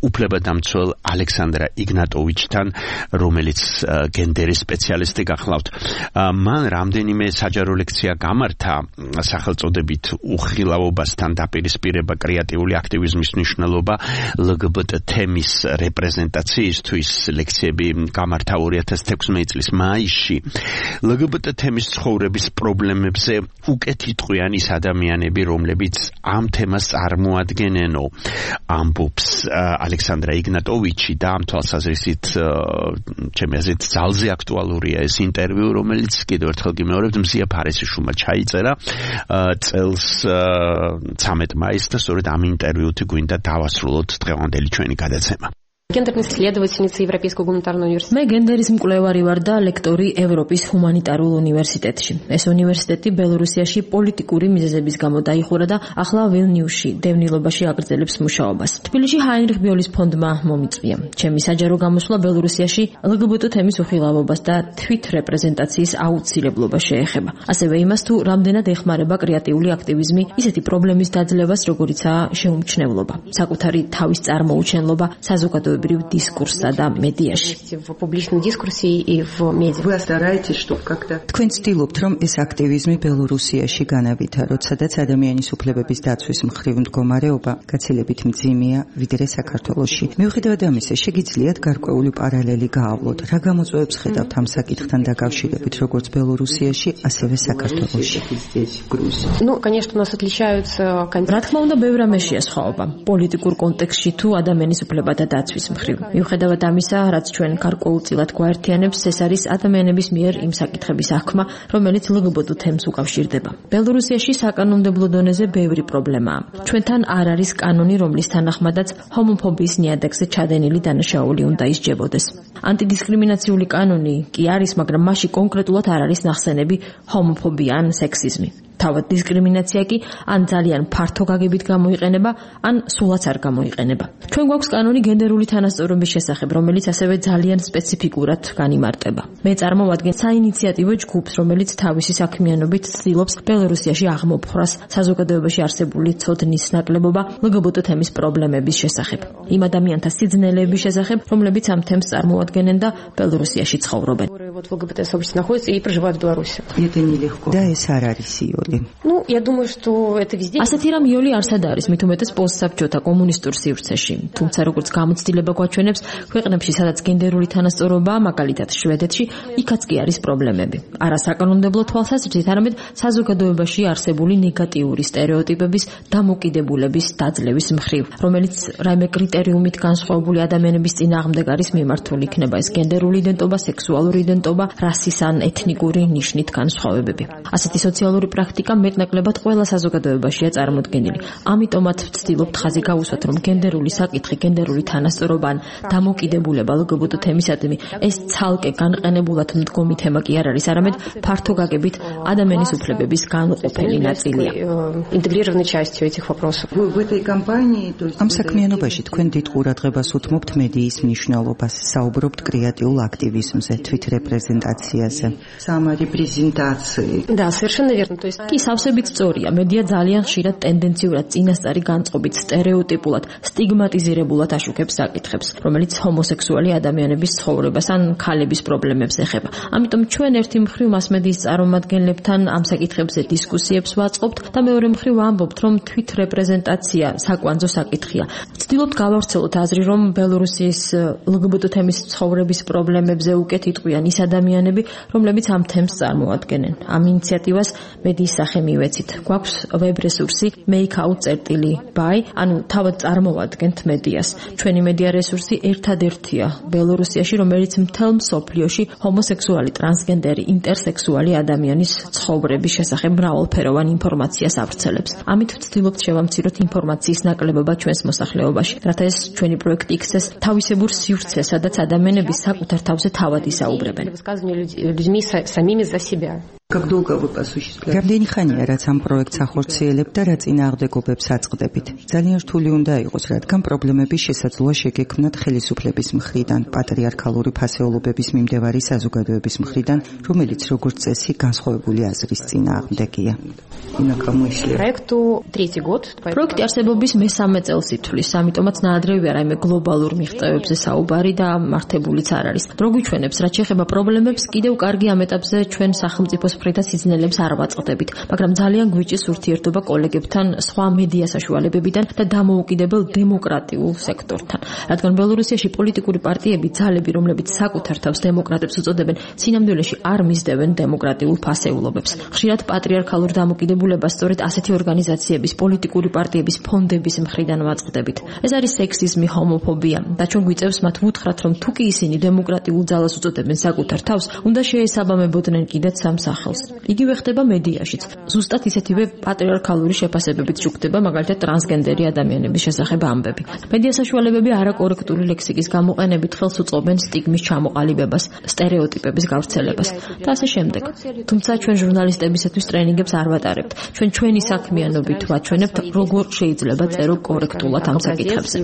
Speaker 3: უფლებადამცველ ალექსანდრა იგნატოვიჩთან, რომელიც გენდერის სპეციალისტი გახლავთ. მან რამდენიმე საჯარო ლექცია გამართა სახელწოდებით უხილავობასთან დაპირისპირება, კრეატიული აქტივიზმის მნიშვნელობა ლგბტ თემის რეპრეზენტაციისთვის. ლექციები გამართა ორი ათას თექვსმეტი წლის მაისში. ლგბტ თემის ცხოვრების პრობლემებზე უკეთ იტყვიან ის ადამიანები, რომლებიც ამ თემას წარმოადგენენო, ამბობს ალექსანდრა იგნატოვიჩი და ამ თვალსაზრისით ჩემი აზრით ძალზე აქტუალურია ეს ინტერვიუ, რომელიც კიდევ ერთხელ გიმეორებთ მზია ფარისიშვილმა ჩაიწერა წელს ცამეტ მაისს და სწორედ ამ ინტერვიუთ გვინდა დავასრულოთ დღევანდელი ჩვენი გადაცემა.
Speaker 10: Гендерная исследовательница Европейского гуманитарного университета.
Speaker 4: მე გენდერის მკვლევარი ვარ და ლექტორი ევროპის ჰუმანიტარულ უნივერსიტეტში. ეს უნივერსიტეტი ბელორუსიაში პოლიტიკური მიზეზების გამო დაიხურა და ახლა ვილნიუსში დევნილობაში აგრძელებს მუშაობას. თბილისში ჰაინრიხ ბიოლის ფონდმა მომიწვია. ჩემი საჯარო გამოსვლა ბელორუსიაში ლგბტ თემის უხილავობას და თვით რეპრეზენტაციის აუცილებლობა შეეხება. ასევე იმას, თუ რამდენად ეხმარება კრეატიული აქტივიზმი ისეთი პრობლემის დაძლევას, როგორიცაა შეუმჩნევლობა, საკუთარი თავის წარმოუჩენლობა საზოგადოებრივ დისკურსსა და მედიაში.
Speaker 11: თქვენ ცდილობთ, რომ ეს აქტივიზმი ბელორუსიაში განავითაროთ, სადაც ადამიანის უფლებების დაცვის მხრივ მდგომარეობა გაცილებით მძიმეა, ვიდრე საქართველოში. მიუხედავად ამისა, შეგიძლიათ გარკვეული პარალელი გაავლოთ. რა გამოწვევებს ხედავთ ამ საკითხთან დაკავშირებით, როგორც ბელორუსიაში, ასევე საქართველოში?
Speaker 10: Ну, конечно, у нас отличаются.
Speaker 4: რა თქმა უნდა, ბევრ რამეშია სხვაობა. პოლიტიკურ კონტექსტში თუ ადამიანის უფლებათა დაცვის მხრივ. მიუხედავად ამისა, რაც ჩვენ გარკვეულწილად გვაერთიანებს, ეს არის ადამიანების მიერ იმ საკითხების აღქმა, რომელიც ლგბტ თემს უკავშირდება. ბელორუსიაში საკანონმდებლო დონეზე ბევრი პრობლემაა. ჩვენთან არ არის კანონი, რომლის თანახმადაც ჰომოფობიის ნიადაგზე ჩადენილი დანაშაული უნდა ისჯებოდეს. ანტიდისკრიმინაციული კანონი კი არის, მაგრამ მასში კონკრეტულად არ არის ნახსენები ჰომოფობია ან სექსიზმი. თავად დისკრიმინაცია კი ან ძალიან ფართო გაგებით გამოიყენება, ან სულაც არ გამოიყენება. ჩვენ გვაქვს კანონი გენდერული თანასწორობის შესახებ, რომელიც ასევე ძალიან სპეციფიკურად განიმარტება. მე წარმოვადგენ საინიციატივო ჯგუფს, რომელიც თავისი საქმიანობით ცდილობს ბელორუსიაში აღმოფხვრას საზოგადოებაში არსებული ცოდნის ნაკლებობა ლგბტ თემის პრობლემების შესახებ. იმ ადამიანთა სიძნელეების შესახებ, რომლებიც ამ თემს წარმოადგენენ და ბელორუსიაში ცხოვრობენ.
Speaker 10: Вот в ЛГБТ-сообществе находятся и проживают в Беларуси.
Speaker 11: Это нелегко. Да, ეს არ არის იოლი.
Speaker 10: Ну, я думаю, что это везде.
Speaker 4: ასეთი რამ იოლი არსად არის, მით უმეტეს პოსტსაბჭოთა კომუნისტურ სივრცეში. თუმცა როგორც გამოცდილება გვაჩვენებს, ქვეყნებში, სადაც გენდერული თანასწორობაა, მაგალითად შვედეთში, იქაც კი არის პრობლემები. არა საკანონმდებლო თვალსაზრისით, არამედ საზოგადოებაში არსებული ნეგატიური სტერეოტიპების დამოკიდებულების დაძლევის მხრივ, რომელიც რაიმე კრიტერიუმით განსხვავებული ადამიანების წინააღმდეგ არის მიმართული, იქნება ეს გენდერული იდენტობა, სექსუალური იდენტობა, რასის ან ეთნიკური ნიშნით განსხვავებები. ასეთი სოციალური პრაქტიკა მეტნაკლებად ყველა საზოგადოებაშია წარმოდგენილი. ამიტომაც ვცდილობთ ხაზი გავუსვათ, რომ გენდერული საკითხი, გენდერული თანასწორობა ან დამოკიდებულება ლგბტ თემისადმი ეს ცალკე განყენებულად მდგომი თემა კი არ არის, არამედ ფართო გაგებით ადამიანის უფლებების განუყოფელი ნაწილია.
Speaker 10: Интегрированной частью этих вопросов.
Speaker 11: ამ საქმიანობაში თქვენ დიდ ყურადღებას უთმობთ მედიის მნიშვნელობას, საუბრობთ კრეატიულ აქტივიზმზე, თვით რეპრეზენტაციაზე.
Speaker 10: Саморепрезентации. Да, совершенно верно. То есть
Speaker 4: კი სავსებით სწორია. მედია ძალიან ხშირად ტენდენციურად წინასწარი განწყობით, სტერეოტიპულად, სტიგმატიზირებულად აშუქებს საკითხებს, რომელიც ჰომოსექსუალი ადამიანების ცხოვრებას ან ქალების პრობლემებს ეხება. ამიტომ ჩვენ ერთი მხრივ მასმედიის წარმომადგენლებთან ამ საკითხებზე დისკუსიებს ვაწყობთ და მეორე მხრივ ამბობთ, რომ თვით რეპრეზენტაცია საკვანძო საკითხია. ვცდილობთ გავავრცელოთ აზრი, რომ ბელორუსიის ლგბტ თემის ცხოვრების პრობლემებზე უკეთ იტყვიან ის ადამიანები, რომლებიც ამ თემს წარმოადგენენ. ამ ინიციატივას მედიის სახე მივეცით. გვაქვს ვებ რესურსი make out by, ანუ თავად წარმოვადგენთ მედიას. ჩვენი მედია რესურსი ერთადერთია ბელორუსიაში, რომელიც მთელ მსოფლიოში ჰომოსექსუალი, ტრანსგენდერი, ინტერსექსუალი ადამიანის ცხოვრების შესახებ მრავალფეროვან ინფორმაციას ავრცელებს. ამით ვცდილობთ შევამციროთ ინფორმაციის ნაკლებობა ჩვენს მოსახლეობაში, რათა ეს ჩვენი პროექტი იქცეს თავისებურ სივრცეს, სადაც ადამიანები საკუთარ თავზე თავად ისაუბრებენ.
Speaker 10: Людьми самими за себя.
Speaker 11: რამდენი ხანია რაც ამ პროექტს ახორციელებთ და რა წინააღმდეგობებს აწყდებით? ძალიან რთული უნდა იყოს, რადგან პრობლემები შესაძლოა შეგექმნათ ხელისუფლების მხრიდან, პატრიარქალური ფასეულობების მიმდევარი საზოგადოების მხრიდან, რომელიც როგორც წესი განსხვავებული აზრის წინააღმდეგია.
Speaker 4: პროექტი არსებობის მესამე წელს ითვლის, ამიტომაც ნაადრევია რაიმე გლობალურ მიღწევებზე საუბარი და მართებულიც არ არის. რო გვიჩვენებს, რაც შეეხება პრობლემებს, კიდევ კარგი ამ ეტაპზე ჩვენ სახელმწიფოს მხრიდან სიძნელებს არ ვაწყდებით, მაგრამ ძალიან გვიჭირს ურთიერთობა კოლეგებთან, სხვა მედია საშუალებებიდან და დამოუკიდებელ დემოკრატიულ სექტორთან. რადგან ბელორუსიაში პოლიტიკური პარტიები, ძალები, რომლებიც საკუთარ თავს დემოკრატებს უწოდებენ, სინამდვილეში არ მისდევენ დემოკრატიულ ფასეულობებს. ხშირად პატრიარქალურ დამოკიდებულებას სწორედ ასეთი ორგანიზაციების, პოლიტიკური პარტიების, ფონდების მხრიდან ვაწყდებით. ეს არის სექსიზმი, ჰომოფობია და ჩვენ გვიწევს მათ ვუთხრათ, რომ თუ კი ისინი დემოკრატიულ ძალას უწოდებენ საკუთარ თავს, უნდა შეესაბამებოდნენ კიდეც ამ სახელს. იგივე ხდება მედიაშიც. ზუსტად ისეთივე პატრიარქალური შეფასებებით შუქდება მაგალითად ტრანსგენდერი ადამიანების შესახებ ამბები. მედია საშუალებები არაკორექტული ლექსიკის გამოყენებით ხელს უწყობენ სტიგმის ჩამოყალიბებას, სტერეოტიპების გავრცელებას და ასე შემდეგ. თუმცა ჩვენ ჟურნალისტებისათვის ტრენინგებს არ ვატარებთ. ჩვენ ჩვენი საქმიანობით ვაჩვენებთ, როგორ შეიძლება წერო კორექტულად ამ საკითხებზე.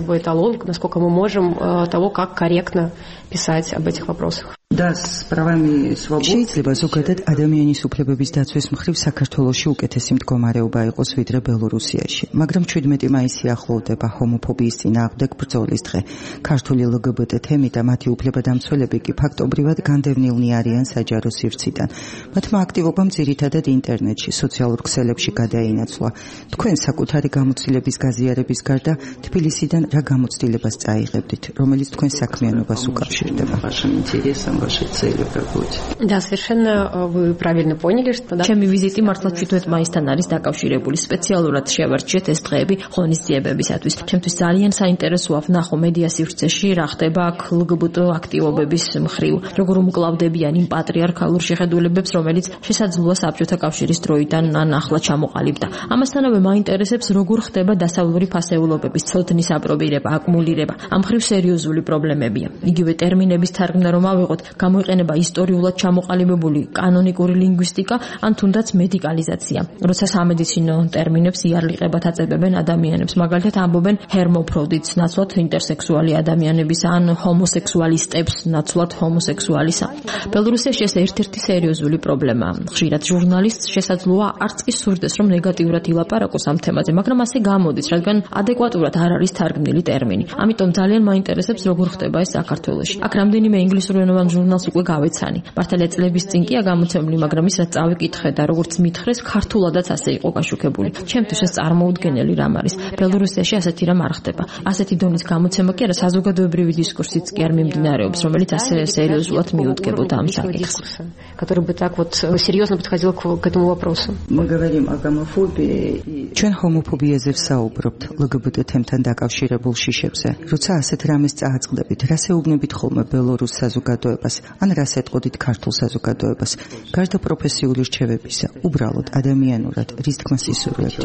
Speaker 10: насколько мы можем того, как корректно писать об этих вопросах.
Speaker 11: შეიძლება ზოგადად ადამიანის უფლებების დაცვის მხრივ საქართველოში უკეთესი მდგომარეობა იყოს ვიდრე ბელორუსიაში, მაგრამ შვიდმეტი მაისი ახლოვდება ჰომოფობიის წინააღმდეგ ბრძოლის დღე. ქართული ლგბტ თემი და მათი უფლებადამცველები კი ფაქტობრივად განდევნილნი არიან საჯარო სივრციდან. მათმა აქტივობამ ძირითადად ინტერნეტში, სოციალურ ქსელებში გადაინაცვლა. თქვენ საკუთარი გამოცდილების გაზიარების გარდა თბილისიდან რა გამოცდილებას წაიღებდით, რომელიც თქვენ საქმიანობას უკავშირდება?
Speaker 10: ваши цели в работе. Да, совершенно вы правильно поняли, что да.
Speaker 4: ჩემი ვიზიტი მართლაც თვითონ მაისთან არის დაკავშირებული. სპეციალურად შევარჩიეთ ეს დღეები ღონისძიებებისათვის. ჩემთვის ძალიან საინტერესოა ვნახო მედია სივრცეში რა ხდება აქ ლგბტ აქტივობების მხრივ, როგორ უმკლავდებიან იმ პატრიარქალურ შეხედულებებს, რომელიც შესაძლოა საბჭოთა კავშირის დროიდან ან ახლა ჩამოყალიბდა. ამასთანავე მაინტერესებს როგორ ხდება დასავლური ფასეულობების ცოდნის აპრობირება, აკუმულირება. ამ მხრივ სერიოზული პრობლემებია. იგივე ტერმინების თარგმნა რომ ავიღოთ, გამოიყენება ისტორიულად ჩამოყალიბებული კანონიკური ლინგვისტიკა ან თუნდაც მედიკალიზაცია. როცა სამედიცინო ტერმინებს იარლიყებად აწებებენ ადამიანებს, მაგალითად ამბობენ ჰერმოფროდიტს ნაცვლად ინტერსექსუალი ადამიანების ან ჰომოსექსუალისტებს ნაცვლად ჰომოსექსუალისა. ბელორუსიაში ეს ერთ-ერთი სერიოზული პრობლემაა. ხშირად ჟურნალისტს შესაძლოა არც კი სურდეს, რომ ნეგატიურად ილაპარაკოს ამ თემაზე, მაგრამ ასე გამოდის, რადგან ადეკვატურად არ არის თარგმნილი ტერმინი. ამიტომ ძალიან მაინტერესებს, როგორ ხდება ეს საქართველოში. აქ რამდენიმე ინგლისურენოვან ჟურნალს უკვე გავეცანი. მართალია წლების წინ კი აგამოცემული, მაგრამ ის რაც წავიკითხე და როგორც მითხრეს, ქართულადაც ასე იყო გაშუქებული. ჩემთვის ეს წარმოუდგენელი რამ არის. ბელორუსიაში ასეთი რამ არ ხდება. ასეთი დონის გამოცემა კი არა, საზოგადოებრივი დისკურსიც კი არ მიმდინარეობს, რომელიც ასე სერიოზულად მიუდგებოდა ამ საკითხს.
Speaker 10: который бы так вот серьезно подходил к этому вопросу.
Speaker 11: Мы говорим о гомофобии. ჩვენ ჰომოფობიაზე ვსაუბრობთ ლგბტ თემთან დაკავშირებულ შიშებზე. როცა ასეთ რამეს წააწყდებით, რას ეუბნებით ხოლმე ბელორუს საზოგადოებას, ან რას ეტყოდით ქართულ საზოგადოებას, გარდა პროფესიული რჩევებისა, უბრალოდ ადამიანურად, რის თქმას ისურვებთ?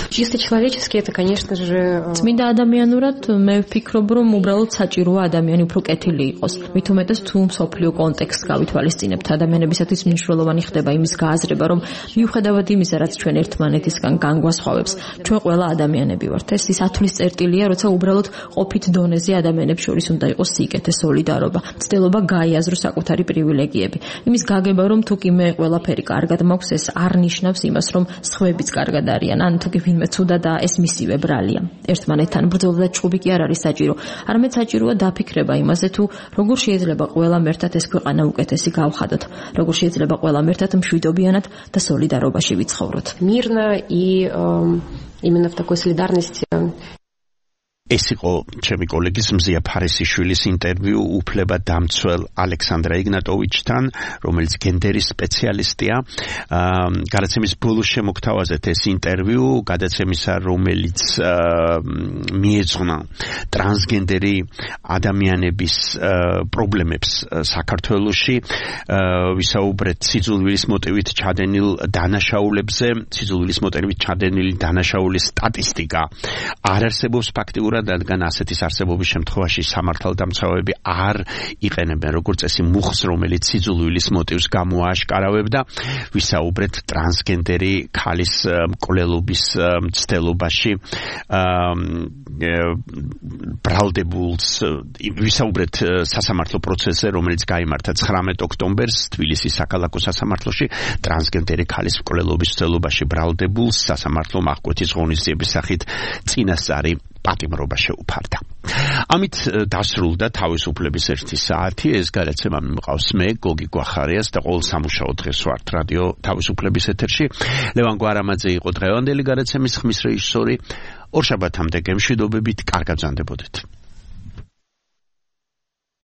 Speaker 10: Чисто человечески это, конечно же,
Speaker 4: წმინდა ადამიანურად მე ვფიქრობ, რომ უბრალოდ საჭიროა ადამიანი უფრო კეთილი იყოს. მით უმეტეს თუ მსოფლიო კონტექსტს გავითვალისწინებთ, ადამიანებისათვის მნიშვნელოვანი ხდება იმის გააზრება, რომ მიუხედავად იმისა, რაც ჩვენ ერთმანეთისგან განგვასხვავებს, ჩვენ ყველა ადამიანები ვართ. ეს ის ათვლის წერტილია, როცა უბრალოდ ყოფით დონეზე ადამიანებს შორის უნდა იყოს სიკეთე, სოლიდარობა, ცდილობა გაიაზროს საკუთარი პრივილეგიები. იმის გაგება, რომ თუ კი მე ყველაფერი კარგად მაქვს, ეს არ ნიშნავს იმას, რომ სხვაებიც კარგად არიან, ან თუ კი ვინმე ცუდა და ეს მისივე ბრალია. ერთმანეთთან ბრძოლა და ჭუბი კი არ არის საჭირო. არამედ საჭიროა დაფიქრება იმაზე, თუ როგორ შეიძლება ყველამ ერთად ეს ქვეყანა უკეთესი გავხადოთ, როგორ შეიძლება ყველამ ერთად მშვიდობიანად და სოლიდარობაში ვიცხოვროთ.
Speaker 10: Мирно и именно в такой солидарности.
Speaker 3: ეს იყო ჩემი კოლეგის მზია ფარისიშვილის ინტერვიუ უფლება დამცველ ალექსანდრა იგნატოვიჩთან, რომელიც გენდერის სპეციალისტია. გადაცემის ბოლოს შემოგთავაზეთ ეს ინტერვიუ, გადაცემისა, რომელიც მიეძღვნა ტრანსგენდერი ადამიანების პრობლემებს საქართველოში. ვისაუბრეთ სიძულვილის მოტივით ჩადენილ დანაშაულებზე, სიძულვილის მოტივით ჩადენილი დანაშაულის სტატისტიკა არ არსებობს ფაქტიურად აბსურდულად, რადგან ასეთის არსებობის შემთხვევაში სამართალდამცავები არ იყენებენ როგორც წესი მუხს, რომელიც სიძულვილის მოტივს გამოააშკარავებდა. ვისაუბრეთ ტრანსგენდერი ქალის მკვლელობის მცდელობაში ბრალდებულს, ვისაუბრეთ სასამართლო პროცესზე, რომელიც გაიმართა ცხრამეტ ოქტომბერს თბილისის საქალაქო სასამართლოში. ტრანსგენდერი ქალის მკვლელობის მცდელობაში ბრალდებულს სასამართლომ აღკვეთის ღონისძიების სახით წინასწარი პატიმრობა შეუფარდა. ამით დასრულდა თავისუფლების ერთი საათი. ეს გადაცემა მიმყავს მე, გოგი გვახარიას და ყოველ სამუშაო დღეს ვართ რადიო თავისუფლების ეთერში. ლევან გვარამაძე იყო დღევანდელი გადაცემის ხმის რეჟისორი. ორშაბათამდე გემშვიდობებით, კარგად ბრძანდებოდეთ.